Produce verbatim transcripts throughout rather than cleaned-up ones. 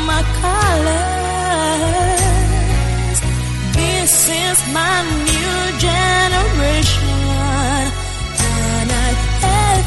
my colors. This is my new generation. Canal F M.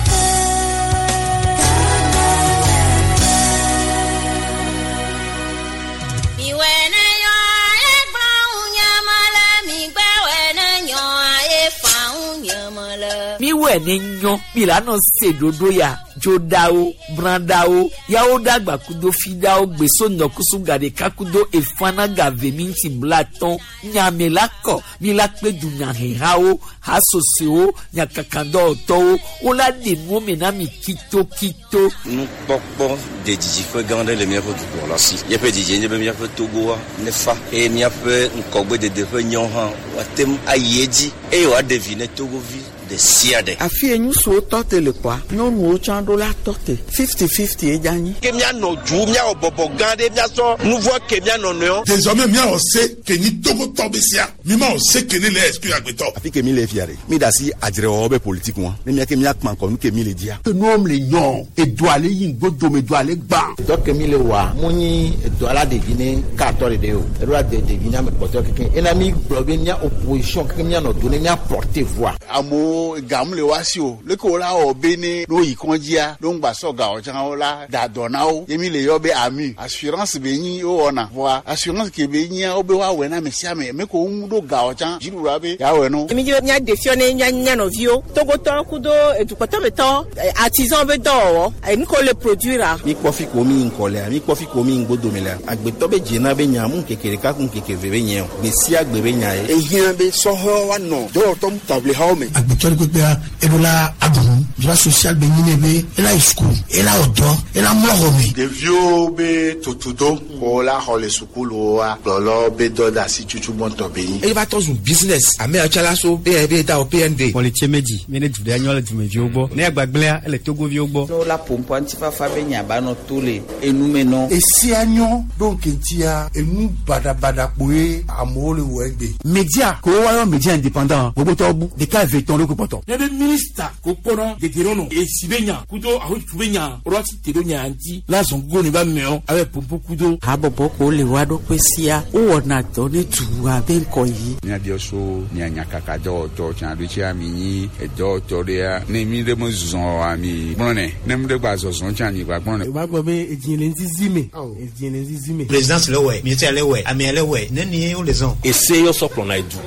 Mi wɛ ne nyɔ mi la nɔ se ɖoɖo ya dzoɖawo brãɖawo yawo ɖagba kudo fiɖawo gbeso nɔkusu gaɖeka kudo efana gave mi ŋuti blatɔn nyame la kɔ mi la kpe dunyahehawo hasosewo nyakakadɔwɔtɔwo wola ɖe nuwo me na mi kitokito. Nukpɔkpɔ de dzidziƒe gã aɖe le míaƒe dukplɔla si. Míaƒe dzidzi nye be míaƒe Togoa nefa eye míaƒe ŋkɔgbedede ƒe nyɔ hã woate ŋu ayi edzi eye wòaɖe vi ne Togovi ɖe sia ɖe. Afi ye ŋutsuwo tɔ te le kɔa, nyɔnuwo tsã ɖo la tɔ te fifty fifty ye dza nyi. Ke míanɔ du míawɔ bɔbɔ gã ɖe míasɔ nu vɔ ke míanɔ nɔewo. Désormais míawɔ se ke nyi Togotɔ be sia mi ma wɔ se ke ne le exclure agbetɔ. Afi ke mi le fia ɖe mi da asi adzrewɔwɔ be politique wa ne mía ke míakpã kɔ nu ke mi le dzia. Nuwo le nyɔ edu ale yi ŋgodo edu ale gbã. Dɔ ke mi le wa mu nyi edu ala ɖevi ne katɔ ɖeɖe o eɖo la de ɖevi ne ame kpɔtɔ keke ena mi gblɔ be mía opposition keke míanɔ do ne mía porter voix. Amewo gamu le wa si o leke wo la wɔ be ne no yi kɔndzia no ŋgba sɔ gawɔ tsã wo la da dɔ na wo ye mi le yɔ be ami assurance be nyi wo wɔna voa assurance ke be nyia wo be woawɔe na ame sia ame ame ko ŋu ɖo gawɔ tsã dziɖuɖua be yeawɔe no. Mi dzi be mía ɖe fiɔ ne mía mía nɔviwo Togotɔ kudo edukɔtɔmetɔ artisan be dɔwɔwɔ enu ko le produire. Mi kpɔ fi ko mi ŋkɔ lea mi kpɔ fi ko mi ŋgodome lea agbetɔ be dzena be nya mu ŋkeke ɖeka ku ŋkeke ve be nye o gbe sia gbe be nya ye. Ehiã be sɔhɛwo woanɔ dɔwɔtɔ taʋlihawo me. Agbetɔ ɖe kpekpea eɖo la aɖu droit social be nyi ne be ela yi sukulu ela wɔ dɔ ela mlɔ xɔ me. Ɖeviwo be tutudo ko la xɔ le sukuluwoa kplɔlɔ be dɔ de asi tutu gbɔntɔ be nyi. Eye va tɔ zu business ame yawo tsã la so be be da o P N D. Pɔlitsie medzi mi ne du ɖe nyɔ le dumeviwo gbɔ ne agbagblẽa ele Togoviwo gbɔ. Ne wola ƒoƒoa ŋutifafa be nya ba nɔ to le enume nɔ. Esia nyɔ ɖo ŋkeŋtia enu baɖabaɖa kpoe amewo le wɔ egbe. Media ko woayɔ media indépendant gbogbotɔwo bu ɖeka eve tɔn ɖo kpɔtɔ. Ne be minista ko kpɔnɔ dedenɔnɔ esi be nya kudo ahotu be nya ɔlɔ ti te ɖo nya ŋuti la zɔn gogo ne ba mɛɔ abe pompo kudo. Habɔbɔ ko le wa ɖokui sia wowɔna dɔ ne dua be ŋkɔ yi. Míabiɔ so mia nyakaka dɔwɔtɔ tsã ɖo tsia mi nyi edɔwɔtɔ ɖea ne mi ɖe me zɔ oa mi gblɔnɛ ne mi ɖe gba zɔzɔ tsã mi gba gblɔnɛ. O b'a gbɔ be edzi le ŋuti me edzi le ŋuti me. Présidence le wɛ ministère le wɛ amea le wɛ ne ni wo le zɔn. Ese yɔ sɔ kplɔna edu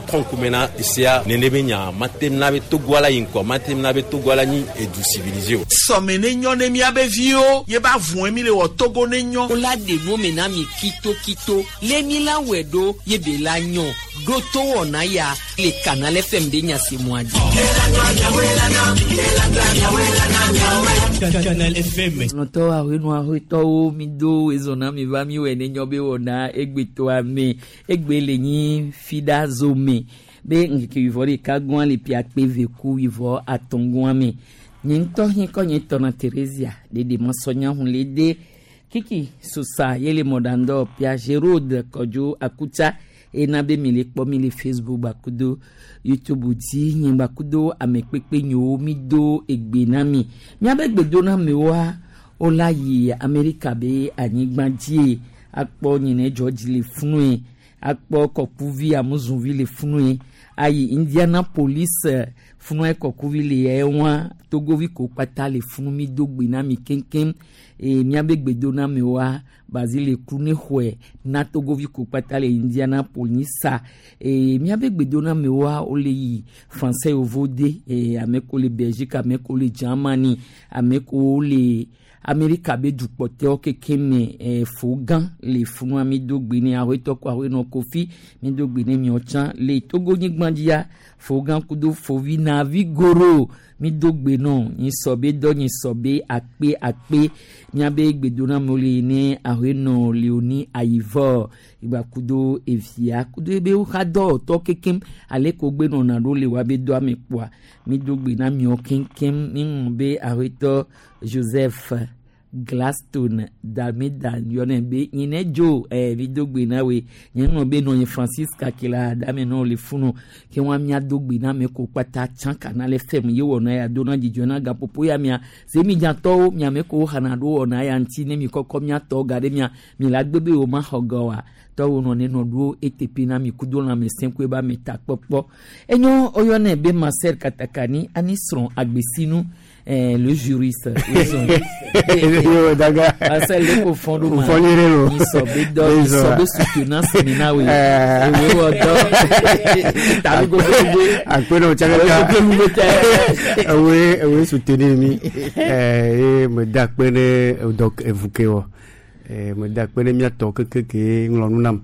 tɔnkume na esea nene be nya mate na be Togoa la yi ŋkɔ mate na be Togoa la nyi edu civilisé o. Sɔme ne nyɔ ne miabe viwo ye ba vɔn mi le wɔ Togo ne nyɔ. Wola ɖe nuwo me na mi kitokito le mi la wɔe ɖo ye be la nyɔ ɖo to wɔna ya le Canal F M de nyasemua dzi. Canal F M. Lɔtɔ ahenu ahotɔwo mi do ezɔna mi va mi wɔ ne nyɔ be wɔna egbetoa me egbe le nyi fida zome be ŋkeke wivɔ ɖeka gɔa le piakpe veku wivɔ atɔ̃ gɔa me nye ŋutɔ hi kɔ nye tɔna Theresia ɖeɖe mɔsɔnya hun le de kiki sosa ye le mɔɖandɔ pia Gerode Kɔdzo Akutsa ena be mi le kpɔ mi le Facebook gbakudo YouTube dzi nye gbakudo ame kpekpe nyewo mi do egbe na mi miabe gbedoname wola yi Amerika be anyigba dzie akpɔ nyine George le funue akpɔ kɔkuvi amuzuvi le funue ayi Indianapolis funue kɔkuvi le ɛwa Togovi ko kpata le funu mi do gbe na mi keŋkeŋ e miabe gbedoname wa Basile kru ne xɔe na Togovi ko kpata le Indianapolis e miabe gbedoname wa wole yi français yovo de e ame ko le Belgique ame ko le Germany ame ko le Amerika be dukpɔtɔwo keke me e fo gã le funua mi do gbe ne ahoetɔ ko ahoenɔ kofi mi do gbe ne miɔ tsã le Togo nyigba dzia fo gã kudo fovi navi goro mi do gbe nɔ nyi sɔ be dɔ nyi sɔ be akpe akpe miabe gbedonamewo le ne ahoenɔ Leoni Ayivɔ igba kudo evia kudo ebe woxa dɔwɔtɔ kekem ale ko gbe nɔna ɖo le woabe dɔa me kpoa mi do gbe na miɔ keŋkeŋ mi ŋlɔ be ahoetɔ Joseph Glaston Dameda yɔnɛ be nyinɛ dzo ɛɛ mi do gbe na we nye ŋlɔ be nɔ nye Francis Kakela dame nɔ le funu ke wa mia do gbe na me ko kpata tsã kana le fɛm ye wɔna ya do na dzidzɔ na gaƒoƒo ya mia zemidzatɔwo miame ko xana ɖo wɔna ya ŋuti ne mi kɔkɔ miatɔ ga ɖe mia mi la gbe be wo ma xɔ gɔ wa tɔwo nɔ ne nɔ ɖo eteƒe na mi kudo lãmesẽ koe ba me ta kpɔkpɔ enyo woyɔnɛ be Marcel Katakani ani srɔ̃ agbesinu. Eh, le juriste. Marcel le ko fɔn do ma. Mi sɔ be dɔ, mi sɔ be soutenance mi na we. Ewe wɔ dɔ. Tabi ko ko be. Akpe na o tsaka ka. Ewe ewe soutenir mi. Eh, me da akpe ne dɔ evuke wɔ. Eh, me da akpe ne miatɔ keke ke ŋlɔ nu nam.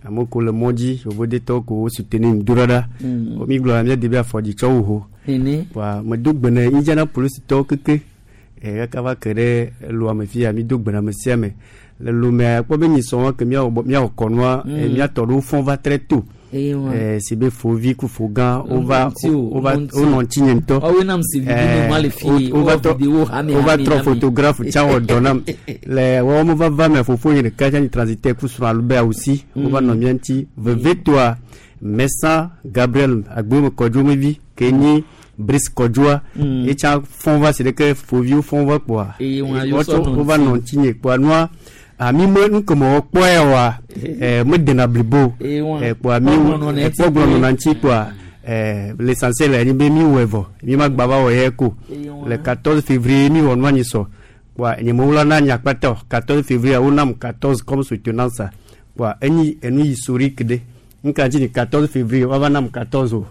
Ame ko le mɔ dzi, yovodetɔwo ko soutenir mi do ɖa ɖa. Mi gblɔ mia de be afɔdzi tsɔ wo ho. Wa me do gbe ne Indianapolis tɔwo keke kaka va ke ɖe loa me fia mi do gbe na ame sia ame le lomea kpɔ be nyisɔ wa ke miawɔ miawɔ kɔnua miatɔ ɖewo fɔn va très tôt si be fovi ku fogã wova wova wonɔ ŋutinye ŋutɔ wova trɔ photographe tsã wɔ dɔ nam le wɔwɔ me vava me fofo nye ɖeka tsã nyi transitaire ku srɔ̃ Albert aussi wova nɔ mía ŋuti vevetoa Messa Gabriel Agbome Kɔdzomevi ke nyi Brice Kɔdzoa etsa fɔn va si ɖeke foviwo fɔn va kpoa wova nɔ ŋutinye kpoa nua ami me nukemɔwɔ kpɔe wa medena blibo kpoa mi ekpɔgblɔ nɔna ŋuti kpoa l'essentiel enyi be mi wɔe vɔ mi ma gba va wɔ ye ko le quatorze février mi wɔ nua nyi sɔ kpoa nye me wla na nya kpata o quatorze février wonam quatorze comme soutenance kpoa enyi enu historique ɖe nka dzi ni quatorze février wava nam quatorze o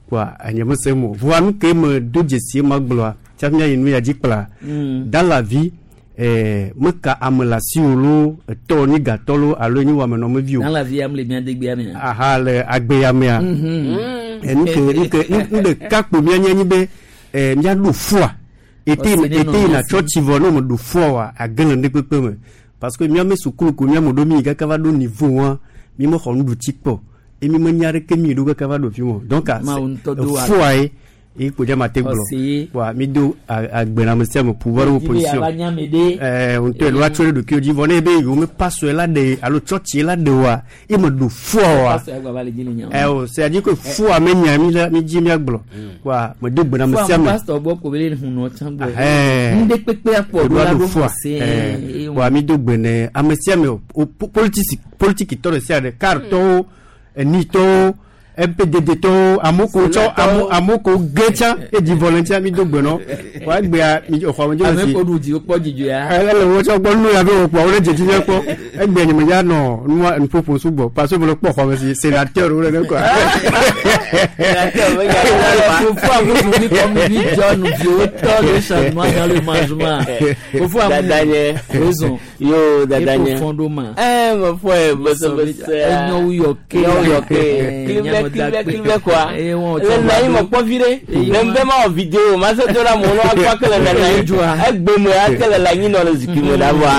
kpoa enye me se mo voa nu ke me do dzesi ma gblɔa tsafi mia yi nu ya dzi kpla dans la vie eh meka ame le asi o lo etɔ ni gatɔ lo alo nyi wɔamenɔ me vi o. Dans la vie am le mia degbea mea. Aha le agbea mea. Enu ke nu ke nu ɖeka kpo mia nye nyi be eh mia ɖo fua ete ete yina tsɔtsi vɔ ne me ɖo fua wa age le ŋɖe kpekpe me parce que mia me sukulu ko mia me ɖo mi yi kaka va ɖo niveau wa mi me xɔ nuɖutsi kpɔ emi me nya ɖeke mi ɖo kaka va ɖo fi mo donc fua ye e ko jama te gblɔ wa mi do agbename sia me pouvoir opposition eh on te loi tsɔ ɖe ɖokuiwo dzi vɔ ne be yewo me pasɔe la ɖe alo tsɔtsi la ɖe wa e me ɖo fua wa eh o c'est à dire que fua me nya mi la mi dzi mia gblɔ wa me do gbename sia me pasteur gbɔ ko be le hunɔ tsã gbɔ ŋɖe kpekpe akpɔ ɖo la ɖo fua wa mi do gbene ame sia me o politique politique tɔ ɖe sia ɖe kartɔwo enitɔwo M P D D tɔwo amoko tsɔ amoko gé tsã edi volontaire mi do gbe nɔ wa gbea mi xɔ me dzo si ame ko ɖu dzi wokpɔ dzidzɔ ya ele wo tsɔ gbɔ nu ya be wokpɔ wo le dzedzi mia kpɔ egbea nye me ya nɔ nua nuƒoƒo sugbɔ parce que me le kpɔ xɔ me si sénateur wo le ne quoi. Fofo amudu mi kɔ mi John viwo tɔ le changement dans le mangement fofo amudu raison yo dadanye efo fɔn ɖo ma eh me fɔ ye bese bese enyo yɔ ke enyo yɔ ke clivé clivé quoi le na yi me kpɔ vi ɖe le ŋbɛ ma wɔ vidéo ma se to la mo no akpa ke le nana yi egbe me ake le le anyi nɔ le zikpui me ɖa vɔa.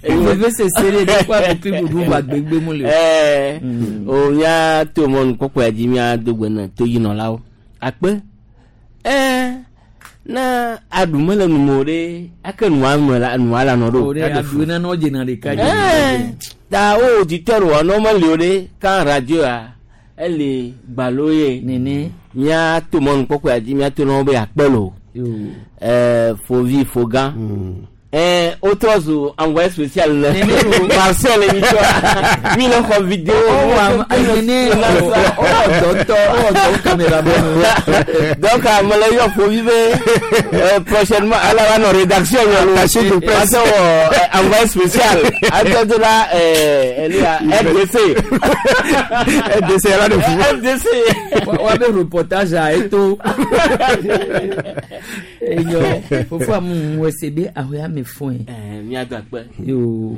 Veve sese ɖe ɖe kɔ akpokli ɖuɖu va gbegbe mu le. Ɛɛ o mía to mɔnu kpɔkpɔ ya dzi mía do gbe na toyinɔlawo akpe ɛɛ na aɖu mele nu me o ɖe ake nua me la nua la nɔ ɖo. O ɖe aɖu nana dzena ɖeka dzi. Ɛɛ ta wo auditeur wɔ nɔ meli o ɖe kan radio ya. Ele gbalo ye nene mía to mɔnu kpɔkpɔ ya dzi mía to nɔ be akpe lo ɛɛ fovi fogã ɛɛ wotrɔ zu envoyé spécial ne Marcel mi tɔ mi le xɔ vidéo nene ɔwɔ dɔtɔ ɔwɔ dɔ caméraman donc ame le yɔ fovi be prochainement ala va nɔ rédaction yɔ lo attaché de presse ase wɔ envoyé spécial atɔ do la ɛɛ elia R D C R D C ala de fu R D C wa be reportage a eto enyo fofo amu wese be ahoya me fún ẹ. Mía do akpe. Yo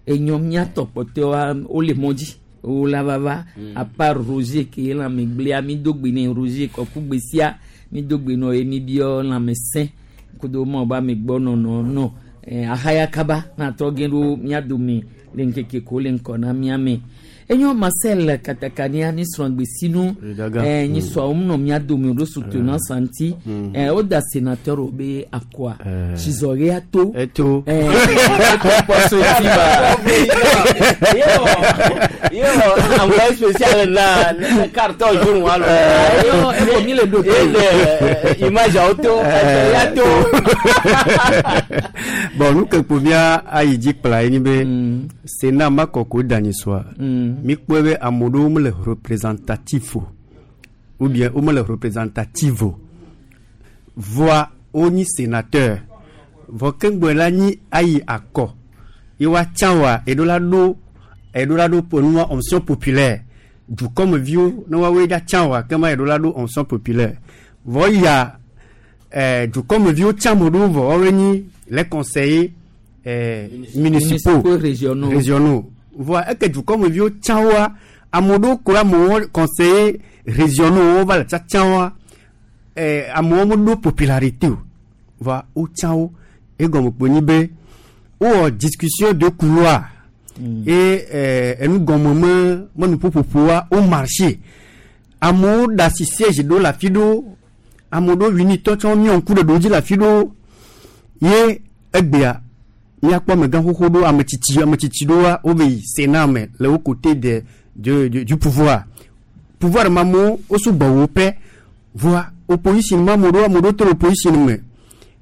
enyo mía tɔkpɔtɔa wole mɔ dzi wola vava à part Roger ke lãmegblea mi do gbe ne Roger kɔkugbe sia mi do gbe nɔ ye mi biɔ lãmesẽ kudo mɔ ba mi gbɔ nɔnɔ nɔ ahaya kaba na trɔ gẽ ɖo mía dome le ŋkeke ko le ŋkɔ na mía me. Enyo Marcel katakania ni srɔ̃gbesinu eh, nyi sɔa wo nɔ mía dome ɖo soutenance ŋuti eh, woda sénateur wo be akɔa tsizɔɣea to eto eh, ekpɔ so eti ba Yo, envoyé spécial na na carton jaune walo. Yo, eko mi le do to. Ele image auto, ya to. Bon, nu ke kpo mía ayi dzi kpla ye nyi be Sénat ma kɔ ko da nyi soa mi kpɔe be ame ɖewo mele représentatif o ou bien wo mele représentative o, voa wonyi sénateur vɔ keŋgbɔ la nyi ayi akɔ ye woatsã wa eɖo la ɖo eɖo la ɖo po nua onction populaire dukɔmeviwo ne woawoe dza tsã wa kema eɖo la ɖo onction populaire vɔ ya eh, dukɔmeviwo tsã mo ɖewo vɔ woawoe nyi les conseillers eh, municipaux. Municipaux, régionaux. Régionaux voa eke dukɔmeviwo tsã woa ame ɖewo ko amewo conseillers régionaux wo va le tsatsã woa eh, amewo meɖo popularité o voa wotsã wo egɔme kpo nyi be wowɔ discussion de couloir mm. Et eh, enugɔme me me nuƒoƒoƒoa wo marché amewo da asi siège ɖewo le afi ɖewo ame ɖewo winitɔ tsɔ miɔ ŋku ɖe ɖewo dzi le afi ɖewo ye egbea míakpɔ amegã xoxo ɖewo ame tsitsi ame tsitsi ɖewoa wo be yi Sénat me le wo côté de, de, de, du pouvoir pouvoir ma amewo wo sugbɔ wo pɛ voa opposition ma ame ɖewo ame ɖewo to le opposition me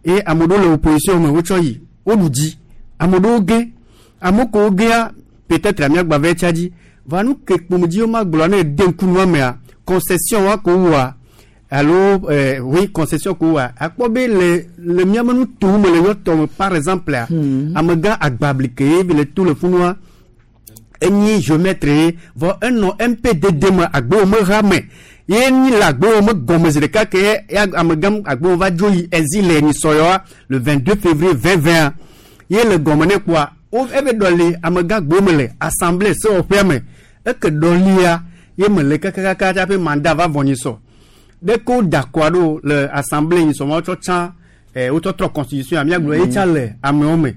eye ame ɖewo le opposition me wotsɔ yi woɖu dzi ame ɖewo ge ame kewo gea peut-être míagba va etsia dzi voa nu ke kpomedzi wo ma gblɔ ne ede ŋku nua mea concession wa ko wɔa alo eh, oui, concession ko wɔa akpɔ be le le míame nutowo me le yɔtɔ me par exemple a amegã agbablike ye le to le funua enyi géomètre ye vɔ enɔ M P D D me agbewo me ha me ye nyi le agbewo me gɔme zi ɖeka ke ya amegã agbewo va dzo yi exil le nyisɔyɔa le vingt-deux février deux mille vingt ye le gɔme ne kpoa wo ebe ɖɔli amegã agbewo me le assemblée sewɔƒea me eke ɖɔlia ye me le kakakaka tsaƒe mandat va vɔ nyisɔ ɖe ko da kɔa ɖo le assemblée nyisɔ ma wotsɔ tsã eh, wotsɔ trɔ constitution míagblɔ ye tsã le amewo me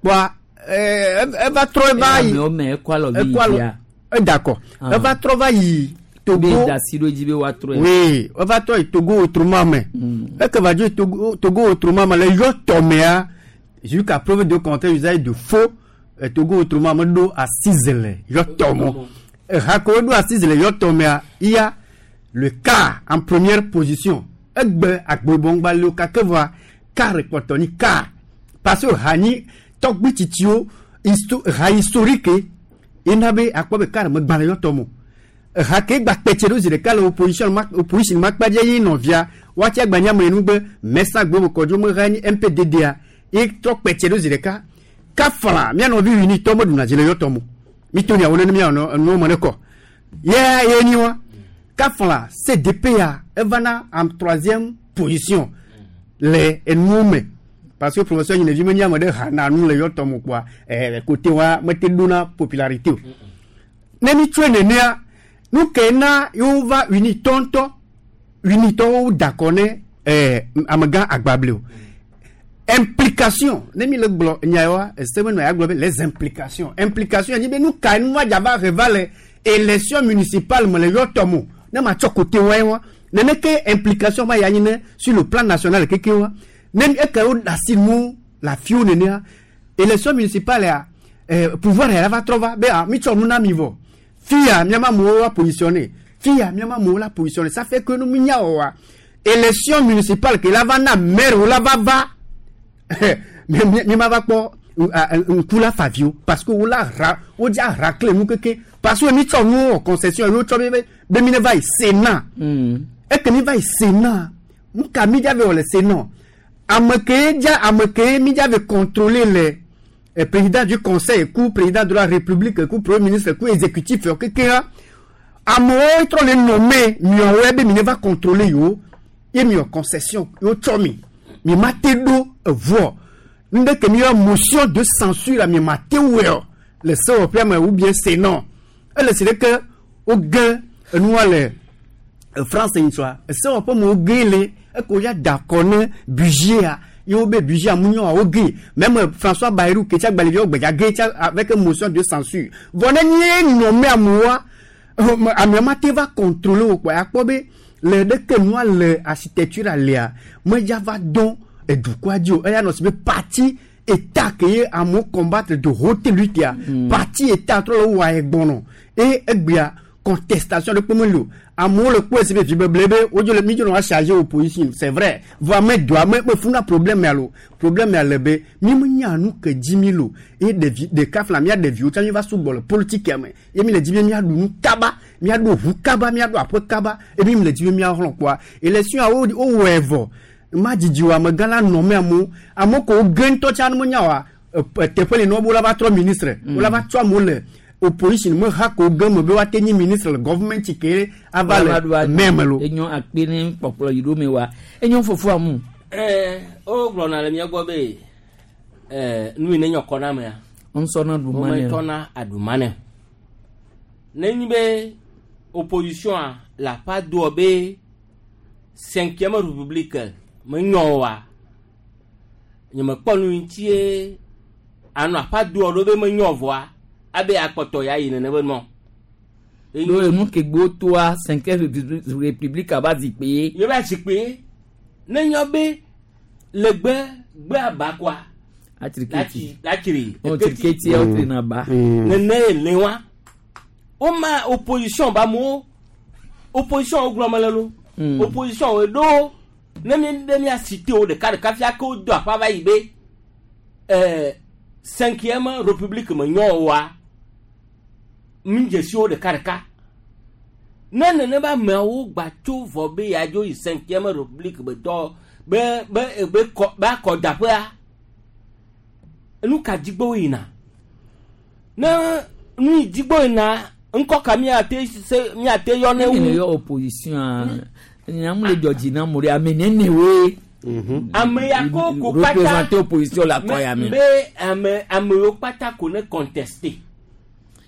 kpoa eh, eva trɔ eva yi amewo me ekɔ alɔ vi ekɔ alɔ yi edakɔ Ah. eva trɔ va yi Togo be da si ɖo dzi be woatrɔe. Oui, eva trɔ yi Togo autrement me eke va dzo yi Togo Togo autrement me le yɔ tɔmea jusqu'à preuve de contraire usage de faux eh, Togo autrement me ɖo assise le yɔ tɔmɔ eha ko ɖo assise le yɔ tɔmea iya le quart en première position egbe agbebɔngbaliwo kake voa quart kpɔtɔ ni quart parce que ha nyi tɔgbi tsitsiwo histo ha historique ena be akpɔ be quart megba le yɔ tɔmɔ ha ke gba kpɛtse ɖo zi ɖeka le opposition ma opposition ma kpa dze ye nɔvia woatsi agbanya me nu be mɛsa gbe me kɔdzo me ha nyi M P D D a ye trɔ kpɛtse ɖo zi ɖeka kafla mía nɔvi wini tɔ me ɖuna dzi le yɔtɔ mo mi to nyawo ne mía nɔ enuwo me ne kɔ ye ye nyi wa kafla C D P ya evana en troisième position le enuwo me parce que professeur Yinevi me nyi ame ɖe hana nu le yɔtɔ mo kpoa ɛɛ côté wa mete ɖona popularité o ne mi tsɔe nenea nu ke na yewo va unitɔ ŋutɔ unitɔwo da kɔ ne ɛɛ amegã agbable o implication ne mi le gblɔ nya wa ese me nɔ ya gblɔ be les implications implication nyi be nu ka nu va dzava he va le élection municipale me le yɔtɔ mo ne ma tsɔ côté wa ye wa nene ke implication va ya nyi ne sur le plan national keke wa ne eke wo da si nu le afiwo nenea élection municipale ya eh, pouvoir ya va trɔ va be ah mi tsɔ nu na mi vɔ fia miama amewo wa positionné fia miama amewo la positionné. Ça fait que nu mi nya wɔ wa élection municipale ke la va na maire wo la va va mi mi ma va kpɔ ŋku la fa viwo parce que wo la ra wo dza racle nu keke parce que mi tsɔ nu wɔ concession yi wo tsɔ be be mi ne va yi Sénat eke mi va yi Sénat nu ka mi dza ve wɔ le Sénat ame ke dza ame ke mi dza ve contrôler le eh, président du conseil ku président de la république ku premier ministre ku exécutif yɔ kekea amewo trɔ le nommé miɔwoe be mi ne va contrôler yewo ye mi wɔ concession yewo tsɔ mi mi ma te ɖo evoa nu ɖe ke mi yɔ motion de censure mi ma te wɔe o le sewɔƒea me ou bien Sénat ele si ɖe ke woge enua le eh, France nyitsɔa esewɔƒe me woge le eke woya da akɔ ne budget a ye wo be budget amunyo wo gé même François Bayrou ke tsa gbalevio gbeja gé tsa avec une motion de censure vɔ ne nye nommé amoa ame ma te va contrôler wo kpɔ akpɔ be le ɖeke nua le architecture alea medza va dɔn edukɔa dzi o eya nɔ si be parti état ke ye amewo combattre de haute lutte ya parti état trɔ le wɔ egbɔnɔ eye egbea contestation de kpɔmɔ li o amewo le kpɔe si be vi beble be wodzo le mi dzo nɔ wa charger opposition c'est vrai vɔ ame do ame me funa problème ya lo problème ya le be mi me nya nu ke dzi mi lo eye ɖevi ɖeka fila mía ɖeviwo tsã mi va sugbɔ le politique ya me ye mi le dzi be míaɖu nu kaba míaɖo ʋu kaba míaɖo aƒe kaba eye mi le dzi be míaxlɔ kpɔa élection ya wo wowɔe vɔ ma dzidzi o amegã la nɔ me amewo amewo ko wo ge ŋutɔ tsã ne menya oa teƒe li ne wo la va trɔ ministre wo la va tsɔ amewo le opposition me ha ko ge me be woate nyi ministre le government ke ava le meme lo. Enyo akpe ne kpɔkplɔ yi ɖo me wa enyo fofo amu. Ɛɛ o gblɔna le mía gbɔ be ɛɛ nu yi ne nyɔ kɔ na mea. Ŋusɔna ɖumanɛ. Wometɔna aɖumanɛ. Ne nyi be opposition a la pa doɔ be cinquième république me nyɔ wa nye me kpɔ nu ŋutie anɔ aƒa doɔ ɖo be me nyɔ vɔa. Abe akpɔtɔ ya yi nene be nɔ. Ɖo enu ke gbo toa cinquième république aba zikpe. Ye ba zikpe ne nyɔ be le gbe gbe aba kɔa. Atriketi. Latsiri. O triketi ya o tri na ba. Nene ye le wa. O ma opposition ba mo opposition o gblɔ me le lo. Opposition o ɖo ne mi be mia cité o ɖeka ɖeka fia ke o do aƒa va yi be ɛɛ cinquième république me nyɔ wa. Mi dzesi wo ɖeka ɖeka ne nene be ameawo gba tso vɔ be yadzo yi cinquième république be dɔ be be be kɔ be akɔdaƒea nu ka dzigbo yina ne nu yi dzigbo yina ŋkɔ ka miate se miate yɔ ne wu. Ne yɔ opposition nyamu le dzɔdzi na mo ɖe ame nene woe. Ame ya ko ko kpata représenter opposition la kɔ ya me. Be ame amewo kpata ko ne contester.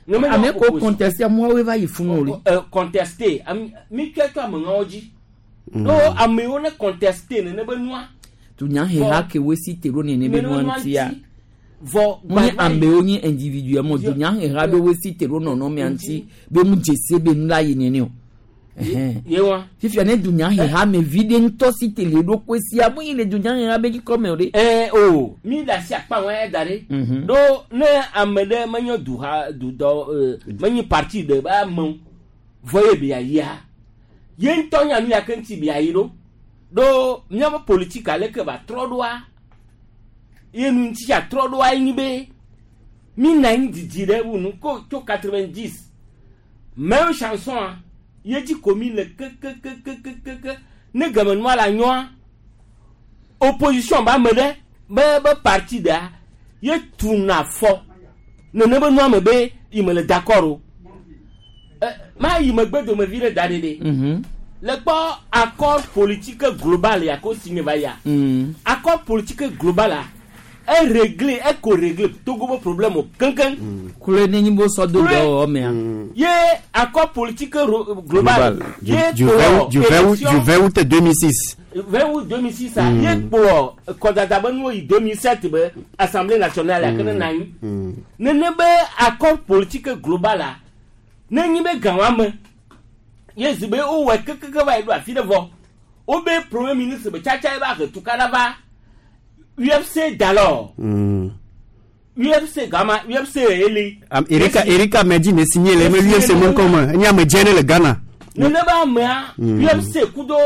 Ame ko contester amewo va yi funu o le. Contester mi tsɔe tso ameŋawo dzi. No amewo ne contester nene be nua. Dunyaheha ke wo si te ɖo nene be nua ŋutia. Vɔ mu nye amewo nye individuellement dunyaheha be wo si te ɖo nɔnɔmea ŋuti be mu dzesi be nu la yi nene o. Ye wa. Fifia ne dunyaheha me vi ɖe ŋutɔ si te le ɖokui sia mu yi le dunyaheha be dzikɔme o ɖe. Ɛɛ o mi le asi akpa wɔn ya da ɖe. Ɖo ne ame ɖe menye duha dudɔ menye parti ɖe be amewo vɔ ye be yayia ye ŋutɔ nya nu ya ke ŋuti be yayi ɖo ɖo míaƒe politique ale ke va trɔ ɖoa ye nu ŋuti ya trɔ ɖoa ye nyi be mi na anyi didi ɖe wu nu ko tso quatre-vingt-dix même chanson a. Ye dzi ko mi le kekekekekeke ne gamenua la nyɔa opposition ba ame ɖe be be parti ɖea ye tuna fɔ nene be nua me be yi me le d'accord o ɛ ma yi megbe domevi ɖe da ɖe ɖe le kpɔ accord politique global ya ko signé va ya accord politique global la e réglé e ko réglé Togo be problème o kankan. Kule ne nyi bo sɔ do dɔwɔwɔ mea. Ye accord politique global. Du du vingt août deux mille six. vingt août deux mille six a ye kplɔ kɔdada be nuwo yi deux mille sept be assemblée nationale ya ke ne na anyi. Nene be accord politique global a ne nyi be gãwa me ye zi be wowɔe kekeke va yi ɖo afi ɖe vɔ wo be premier ministre be tsatsa ye ba he tukaɖa va. U F C d'alors. Mm. U F C Gama, U F C Eli. Um, Erika Erika Medji ne signé les mais U F C mon comme il y a me gêné le Ghana. Ne ne ba mea U F C kudo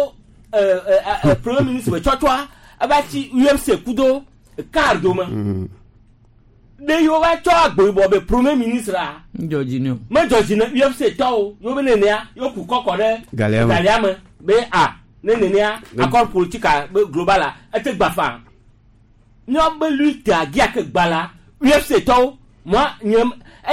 euh euh premier ministre tchotchoa abati U F C kudo cardo ma. De yo va tcho agbo bo be premier ministre a. Georgino. Me Georgino U F C to yo be nenea yo ku kokko de Galiama be a ne nenea accord politique global a ete gbafa. Nyɔ be lutte a gia ke gba la U F C tɔwo moi nye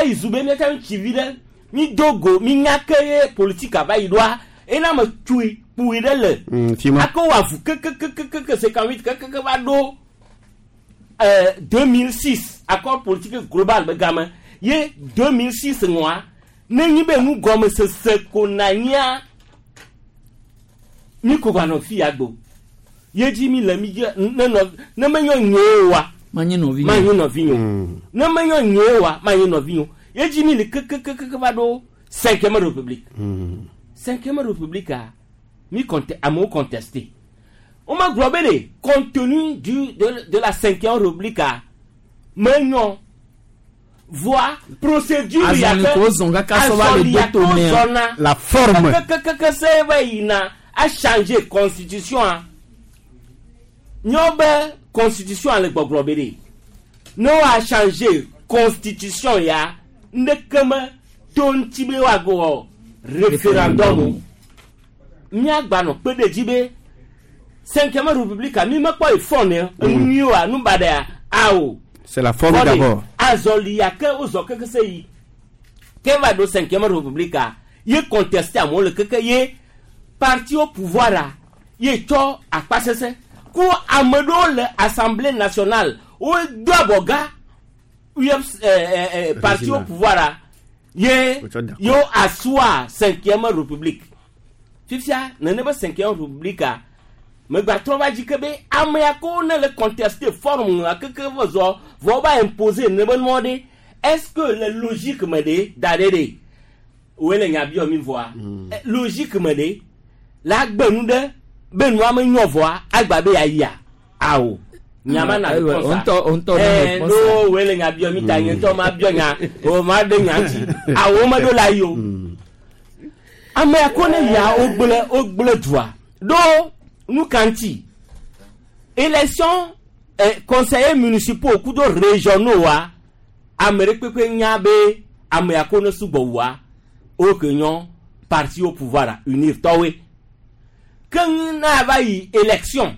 eyi zu be míate ŋu tsi vi ɖe mi do go mi nya ke ye politique ava yi ɖoa ena me tsui kpui ɖe le ako wɔ avu kekekekeke cinquante-huit kekeke va ɖo ɛɛ deux mille six accord politique global be game ye deux mille six ŋua ne nyi be nu gɔmesese ko na nyia mi ko va nɔ fi ya gbo. Ye dzi mi le mi dzi ne nɔ ne menyo nyo wa. Manyi nɔvi. Manyi nɔvi nyo. Ne menyo nyo wa manyi nɔvi nyo. Ye dzi mi le keke keke va ɖo cinquième république. Cinquième république a mi conte amewo contesté. On m'a globé le contenu du de, de la cinquième république a menyo voie procédure ya ke la forme que que se va yina a changer constitution a nyobe constitution ale gbogbo de no a changer constitution ya ndekeme ton tibe wa go référendum mi agba no pe de jibe cinquième république mi me po ifone nyu wa nu bada awo. C'est la forme d'abord. Azolia ke ozo ke se yi. Ke va do cinquième république a ye contesté amo le ke ye parti au pouvoir a ye to akpasese ko amedo le assemblée nationale o do aboga U F euh, euh, parti au pouvoir a ye yo assoit cinquième république. Fifia nene ba cinquième république a me gba trɔ va dzi ke be amea ko ne le contester forme a keke vɔ zɔ vɔ va imposer ne be nua ɖe est-ce que le logique me ɖe da ɖe ɖe woe le nya biɔ mi vɔa logique me ɖe la gbe nu ɖe be nua me nyɔ vɔa agba be yayia awo nyama na réponse ɛɛ no woe le nya biɔ mi ta nye ŋutɔ ma biɔ nya o ma ɖe nya ŋuti awo me ɖo la yi o amea ko ne ya o gblẽ o gblẽ dua ɖo. Nous kanti élection eh, conseillers municipaux kudo régionaux wa amere pepe nyabe ameako ne sugbo wa o kenyon parti au pouvoir unir towe kan na va yi élection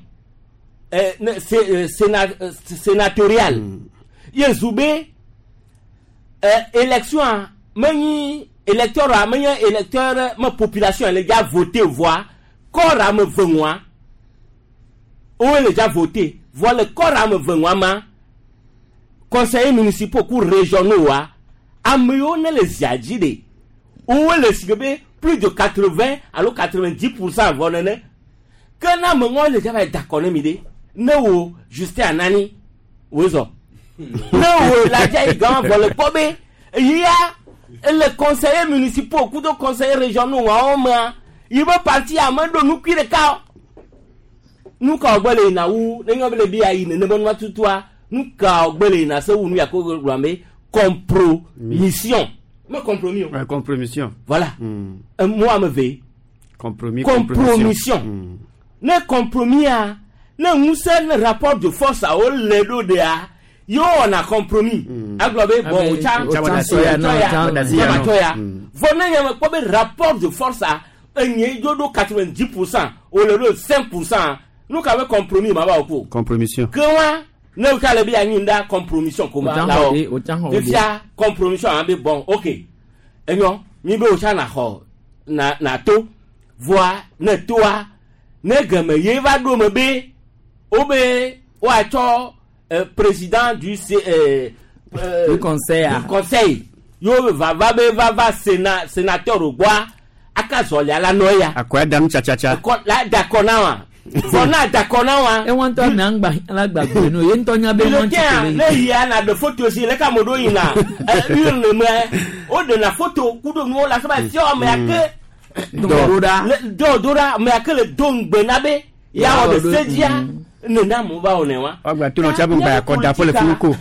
eh, euh, sénat, euh, sénatoriale mm. Yezube eh, élection meni électeur meni électeur ma population les gars voter voix corps à me venwa où est déjà voté voilà le corps à me venwa ma conseillers municipaux ou régionaux wa ameyo ne les adjide où est le sigbe plus de quatre-vingts alors quatre-vingt-dix pour cent vonene que na me ngo le va d'accord ne mide ne wo Justin Anani wezo ne wo la dia gan vole pobe ya le conseiller municipaux ou de conseillers régionaux wa o ma il veut partir à mando nous qui le cas nous ka ogbele na wu ne nyo bele bi ayi ne ne bonwa tutua nous ka ogbele na se wu nu ya ko gbambe compromission me compromis ouais, compromission voilà mm. euh, moi me ve compromis compromission mm. Ne compromis a ne nous ne rapport de force a o le do de a yo on a compromis aglobe bon o cha o cha vone nya me ko be rapport de force a enye do quatre-vingt-dix pour cent o le do cinq pour cent nous ka be compromis ma ba ko compromission que wa ne ka le bi anyi nda compromission ko ma la o fia compromission an be bon OK enyo mi be o cha na ho na na to voa ne toa ne geme ye va do me be o be o a cho président du euh, euh, du conseil du conseil yo va va be va va sénat sénateur au bois akazoli ala noya akoya dam cha cha cha la d'accord na wa fona d'accord na wa e won to na ngba ala gbagbe no ye nto nya be won ti le ya na de photo si le ka modo ina urne me o de na photo kudo no la saba si o me ake do dora do dora me ake le do ngbe na be ya o de sedia ne na mo ba o ne wa ogba to no cha bu ba ko da fo le fuko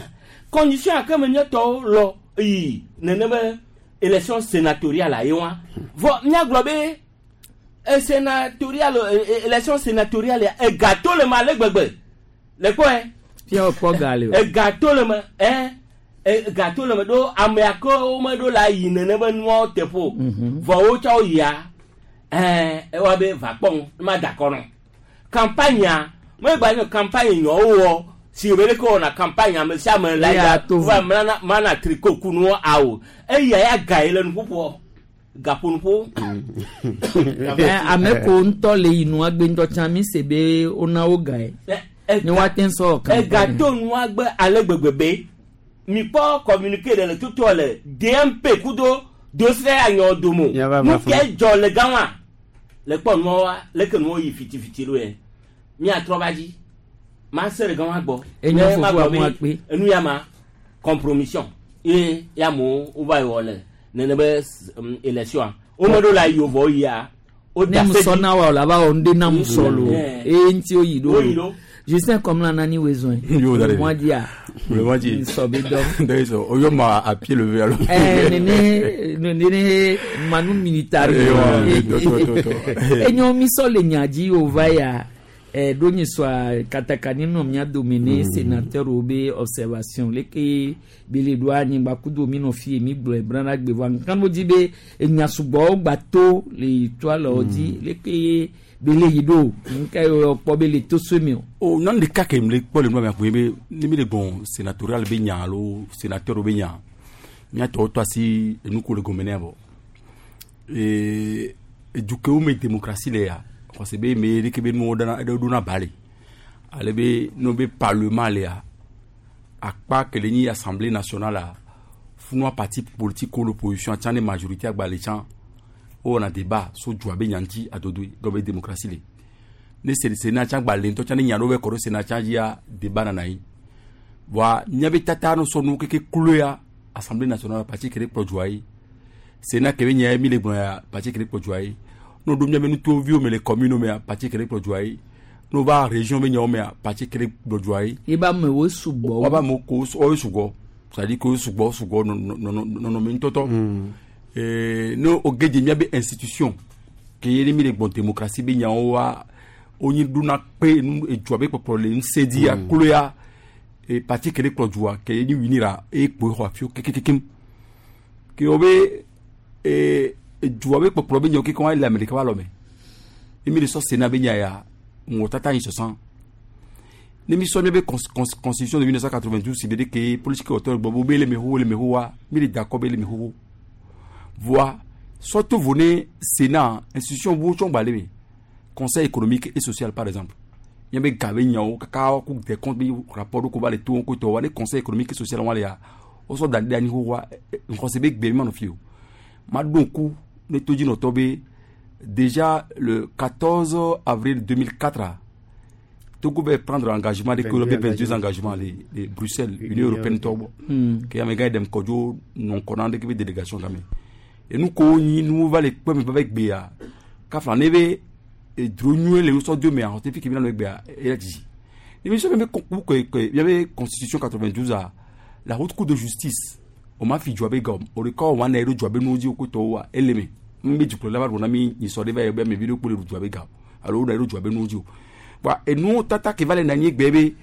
condition ake me nyeto lo yi ne ne me élection sénatoriale a yewa vo nya globe e sénatoriale élection sénatoriale e gâteau le ma le gbegbe le quoi pia o po gale e gâteau le ma hein e gâteau le ma do amea ko me do la yi ne ne be nuo tepo vo wo cha o ya eh e wa be va pon ma d'accord non campagne me gba ni campagne nyo wo si be ko na campagne me sia me la ya wa mana mana tricot kunu awo e ya ya ga ile nu popo gapo nu po ame ko nto le inu agbe nto chan mi se be ona wo ga e ni wa ten so kan e ga to nu agbe ale gbegbebe mi po communiquer de le tuto le D M P kudo dossier anyo domo nu ke jo le ganwa le po nu wa le ke nu yi fiti fiti lo e Miatrɔ va dzi ma se ɖe gama gbɔ. Enye fofo amu akpe. Enu ya ma compromission ye ya mo wo va wɔ le nene be élection wo me ɖo la yi vɔ yia. Ne musɔ na wa o la ba wɔ ŋde na musɔ lo eye ŋuti wo yi ɖo. Justin Komla nani wezon. Le mois d'hier. Le mois d'hier. D'ailleurs, on m'a à pied levé alors. Eh néné néné manu militari. Enyo miso le nyadzi ova ya. Eh donyi soa katakani no mia domine sénateur obe observation leke bele do anyigba kudo mi no fi mi gblɔ brana gbe va kan mo di be enya sugbɔ gbato le toile odi leke bele yi do nka yo kpɔ be le to so mi o. O nan de ka ke mle kpɔ le nua me be ni mi le gbɔn sénatorial be nya alo sénateur be nya mia tɔ to asi enu ko le gɔme ne bɔ ee edukewo me démocratie le ya parce que be me de ke be nuwo dana eɖewo ɖona ba le ale be no be parlement le ya akpa ke le nyi assemblée nationale la funua parti politique ko l'opposition tsã ne majorité agba le tsã wowɔna débat so dua be nya ŋuti adodoe gɔme be démocratie le ne sénat tsã gba le ŋutɔ tsã ne nya ɖewo be kɔ ɖo sénat tsã dzia débat nana anyi voa míabe tata no sɔ nuwo keke kloe ya assemblée nationale parti ke ɖe kplɔ dua ye sénat ke be nya ye mi le gblɔ ya parti ke ɖe kplɔ dua ye no ɖo míabe nutoviwo me le commune mea parti ke ɖe kplɔ dua ye no va région be nyawo mea parti ke ɖe kplɔ dua ye. Eba amewo sugbɔ. Wobe amewo ko woe sugbɔ c'est-à-dire que sugbɔ sugbɔ nɔnɔme ŋutɔtɔ. Ne o gedze míabe institution ke ye ne mi le gbɔn démocratie be nyawo wa wonyi ɖona kpe nu edzua be kpɔkplɔ le ŋusẽ dzi aklo ya parti ke ɖe kplɔ dua ke ye nyi winira eye kpoe xɔ afiwo kekekekem ke wo be edua be kpɔkplɔ be nyawo keke wa le ame ɖeka wa lɔme ne mi le sɔ Sénat be nya ya ŋgɔ tata yi sɔsã ne mi sɔ míabe constitution de mille neuf cent quatre-vingt-douze si be ɖe ke politique wɔtɔ gbɔ be le me xoxo le me xoxoa mi le dakɔ be le me xoxo voa surtout vone Sénat institution wo tsɔn gba le me conseil économique et social par exemple míabe ga be nyawo kaka ku des comptes be rapport ɖo ko va le to ko tɔ wa ne conseil économique et social wa le ya wosɔ da ɖe anyi xoxoa ŋkɔse be gbe mi ma nɔ fi o ma ɖo ŋku ne to dzinɔtɔ be déjà le quatorze avril deux mille quatre Togo va prendre engagement de vingt-deux engagements les, les Bruxelles Union européenne tɔ gbɔ ke amegã yi ɖem kɔdzo nɔ ŋkɔ na ɖeke be délégation game enu ko nyi nu va le kpɔ mi va be gbea kafla ne be edro nyuie le wosɔ do mea xɔte fi ke mi na nɔ gbea eya dzidzi ne mi sɔ mi be ke ke miabe constitution quatre-vingt-douze a la haute cour de justice o ma fi dua be gɔm o de kɔ wa na yi ɖo dua be nuwo dzi wo ko tɔwo wa ele me n be dukplɔla va ɖo na mi nyisɔ ɖe va yi be ame vi ɖe kpo le ɖu dua be ga alo wo na yi ɖo dua be nuwo dzi o wa enuwo tata ke va le na anyi gbe be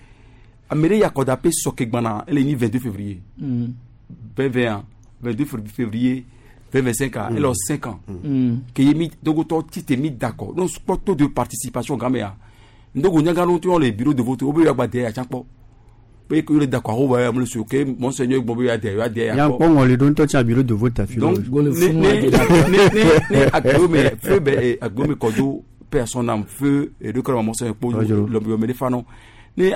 ame ɖe yakɔda pe sɔke gbana ele nyi vingt-deux février vingt vingt vingt-deux février vingt vingt-cinq ans, elle a cinq ans. Que mi dogoto tite mi d'accord. Non sport taux de participation gamea. Ndogo nyanga no to le bureau de vote obe yagba de ya chapo. Pe que le d'accord o ba me le que monseigneur gbombe ya de ya de ya. Ya ko ngoli don to cha bureau de vote afi. Donc ne ne ne agome feu be agome kodo personne âme feu et de quand monseigneur po le me fano. Ne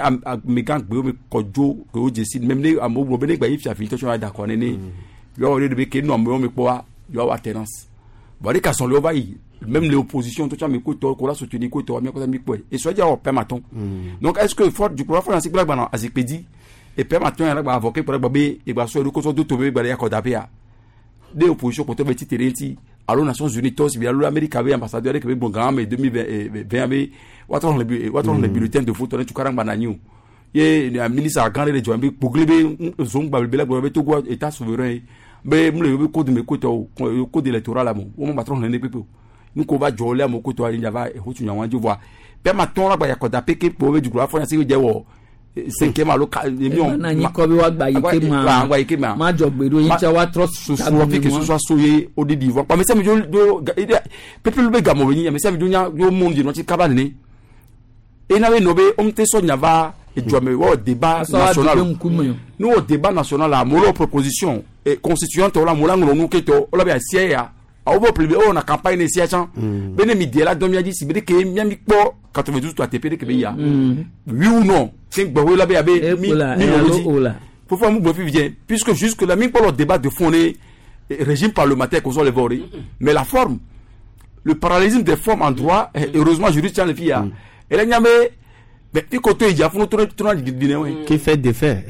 me gang gbe me kodo que o décide même ne amo gbe ne gba yi fi afi to cha d'accord ne ne. Yo de be ke no me me poa yo avoir tendance bon les cas sont le va même les oppositions tout ça mais ko to ko la soutenir ko to mi ko mi ko et soit dire permetton donc est-ce que fort du pouvoir français blague bana azipedi et permetton ya ba avocat pour ba be et ba so ko so do to be ba ya ko dapia des oppositions pour te petit terrain allo Nations Unies tous bien allo Amérique avait ambassadeur avec bon grand mais deux mille vingt avait waton le waton le bulletin de vote tu karang bananyu ye ministre grand de joambe bogle be zongba be la be Togo état souverain be mle be code me code code électoral la mo o ma patron ne pepe nous ko va jole mo ko to ali va e hotu nyawan jo pe ma ton la gba yakoda peke po be dukura fo si je wo cinquième alo million na nyi ko be wa gba yike ma gba yike ma ma jo gbedo yin cha wa trust su su que ce soit soyé au didi voix mais ça me jo pepe be gamo be mais ça me jo nya yo monde no ti kaba ne e na we no be on te so nya va et tu as au débat national nous au débat national la molo proposition et constituante la mola ngolo keto ola be asie ya awo bo on a campagne sia chan bene mi de la do mi adi si be ke mi mi po quatre-vingt-douze to A T P de ke be ya oui ou non cinq bo la be abe mi mi faut faire mu bo fi vient puisque jusque là mi pour le débat de fond régime parlementaire qu'on soit les voler mais la forme le parallélisme des formes en droit heureusement juriste tient les filles et là nyame Mais fi ko to yi dza funu to to na didi ne wɛ. Qui fait défaire.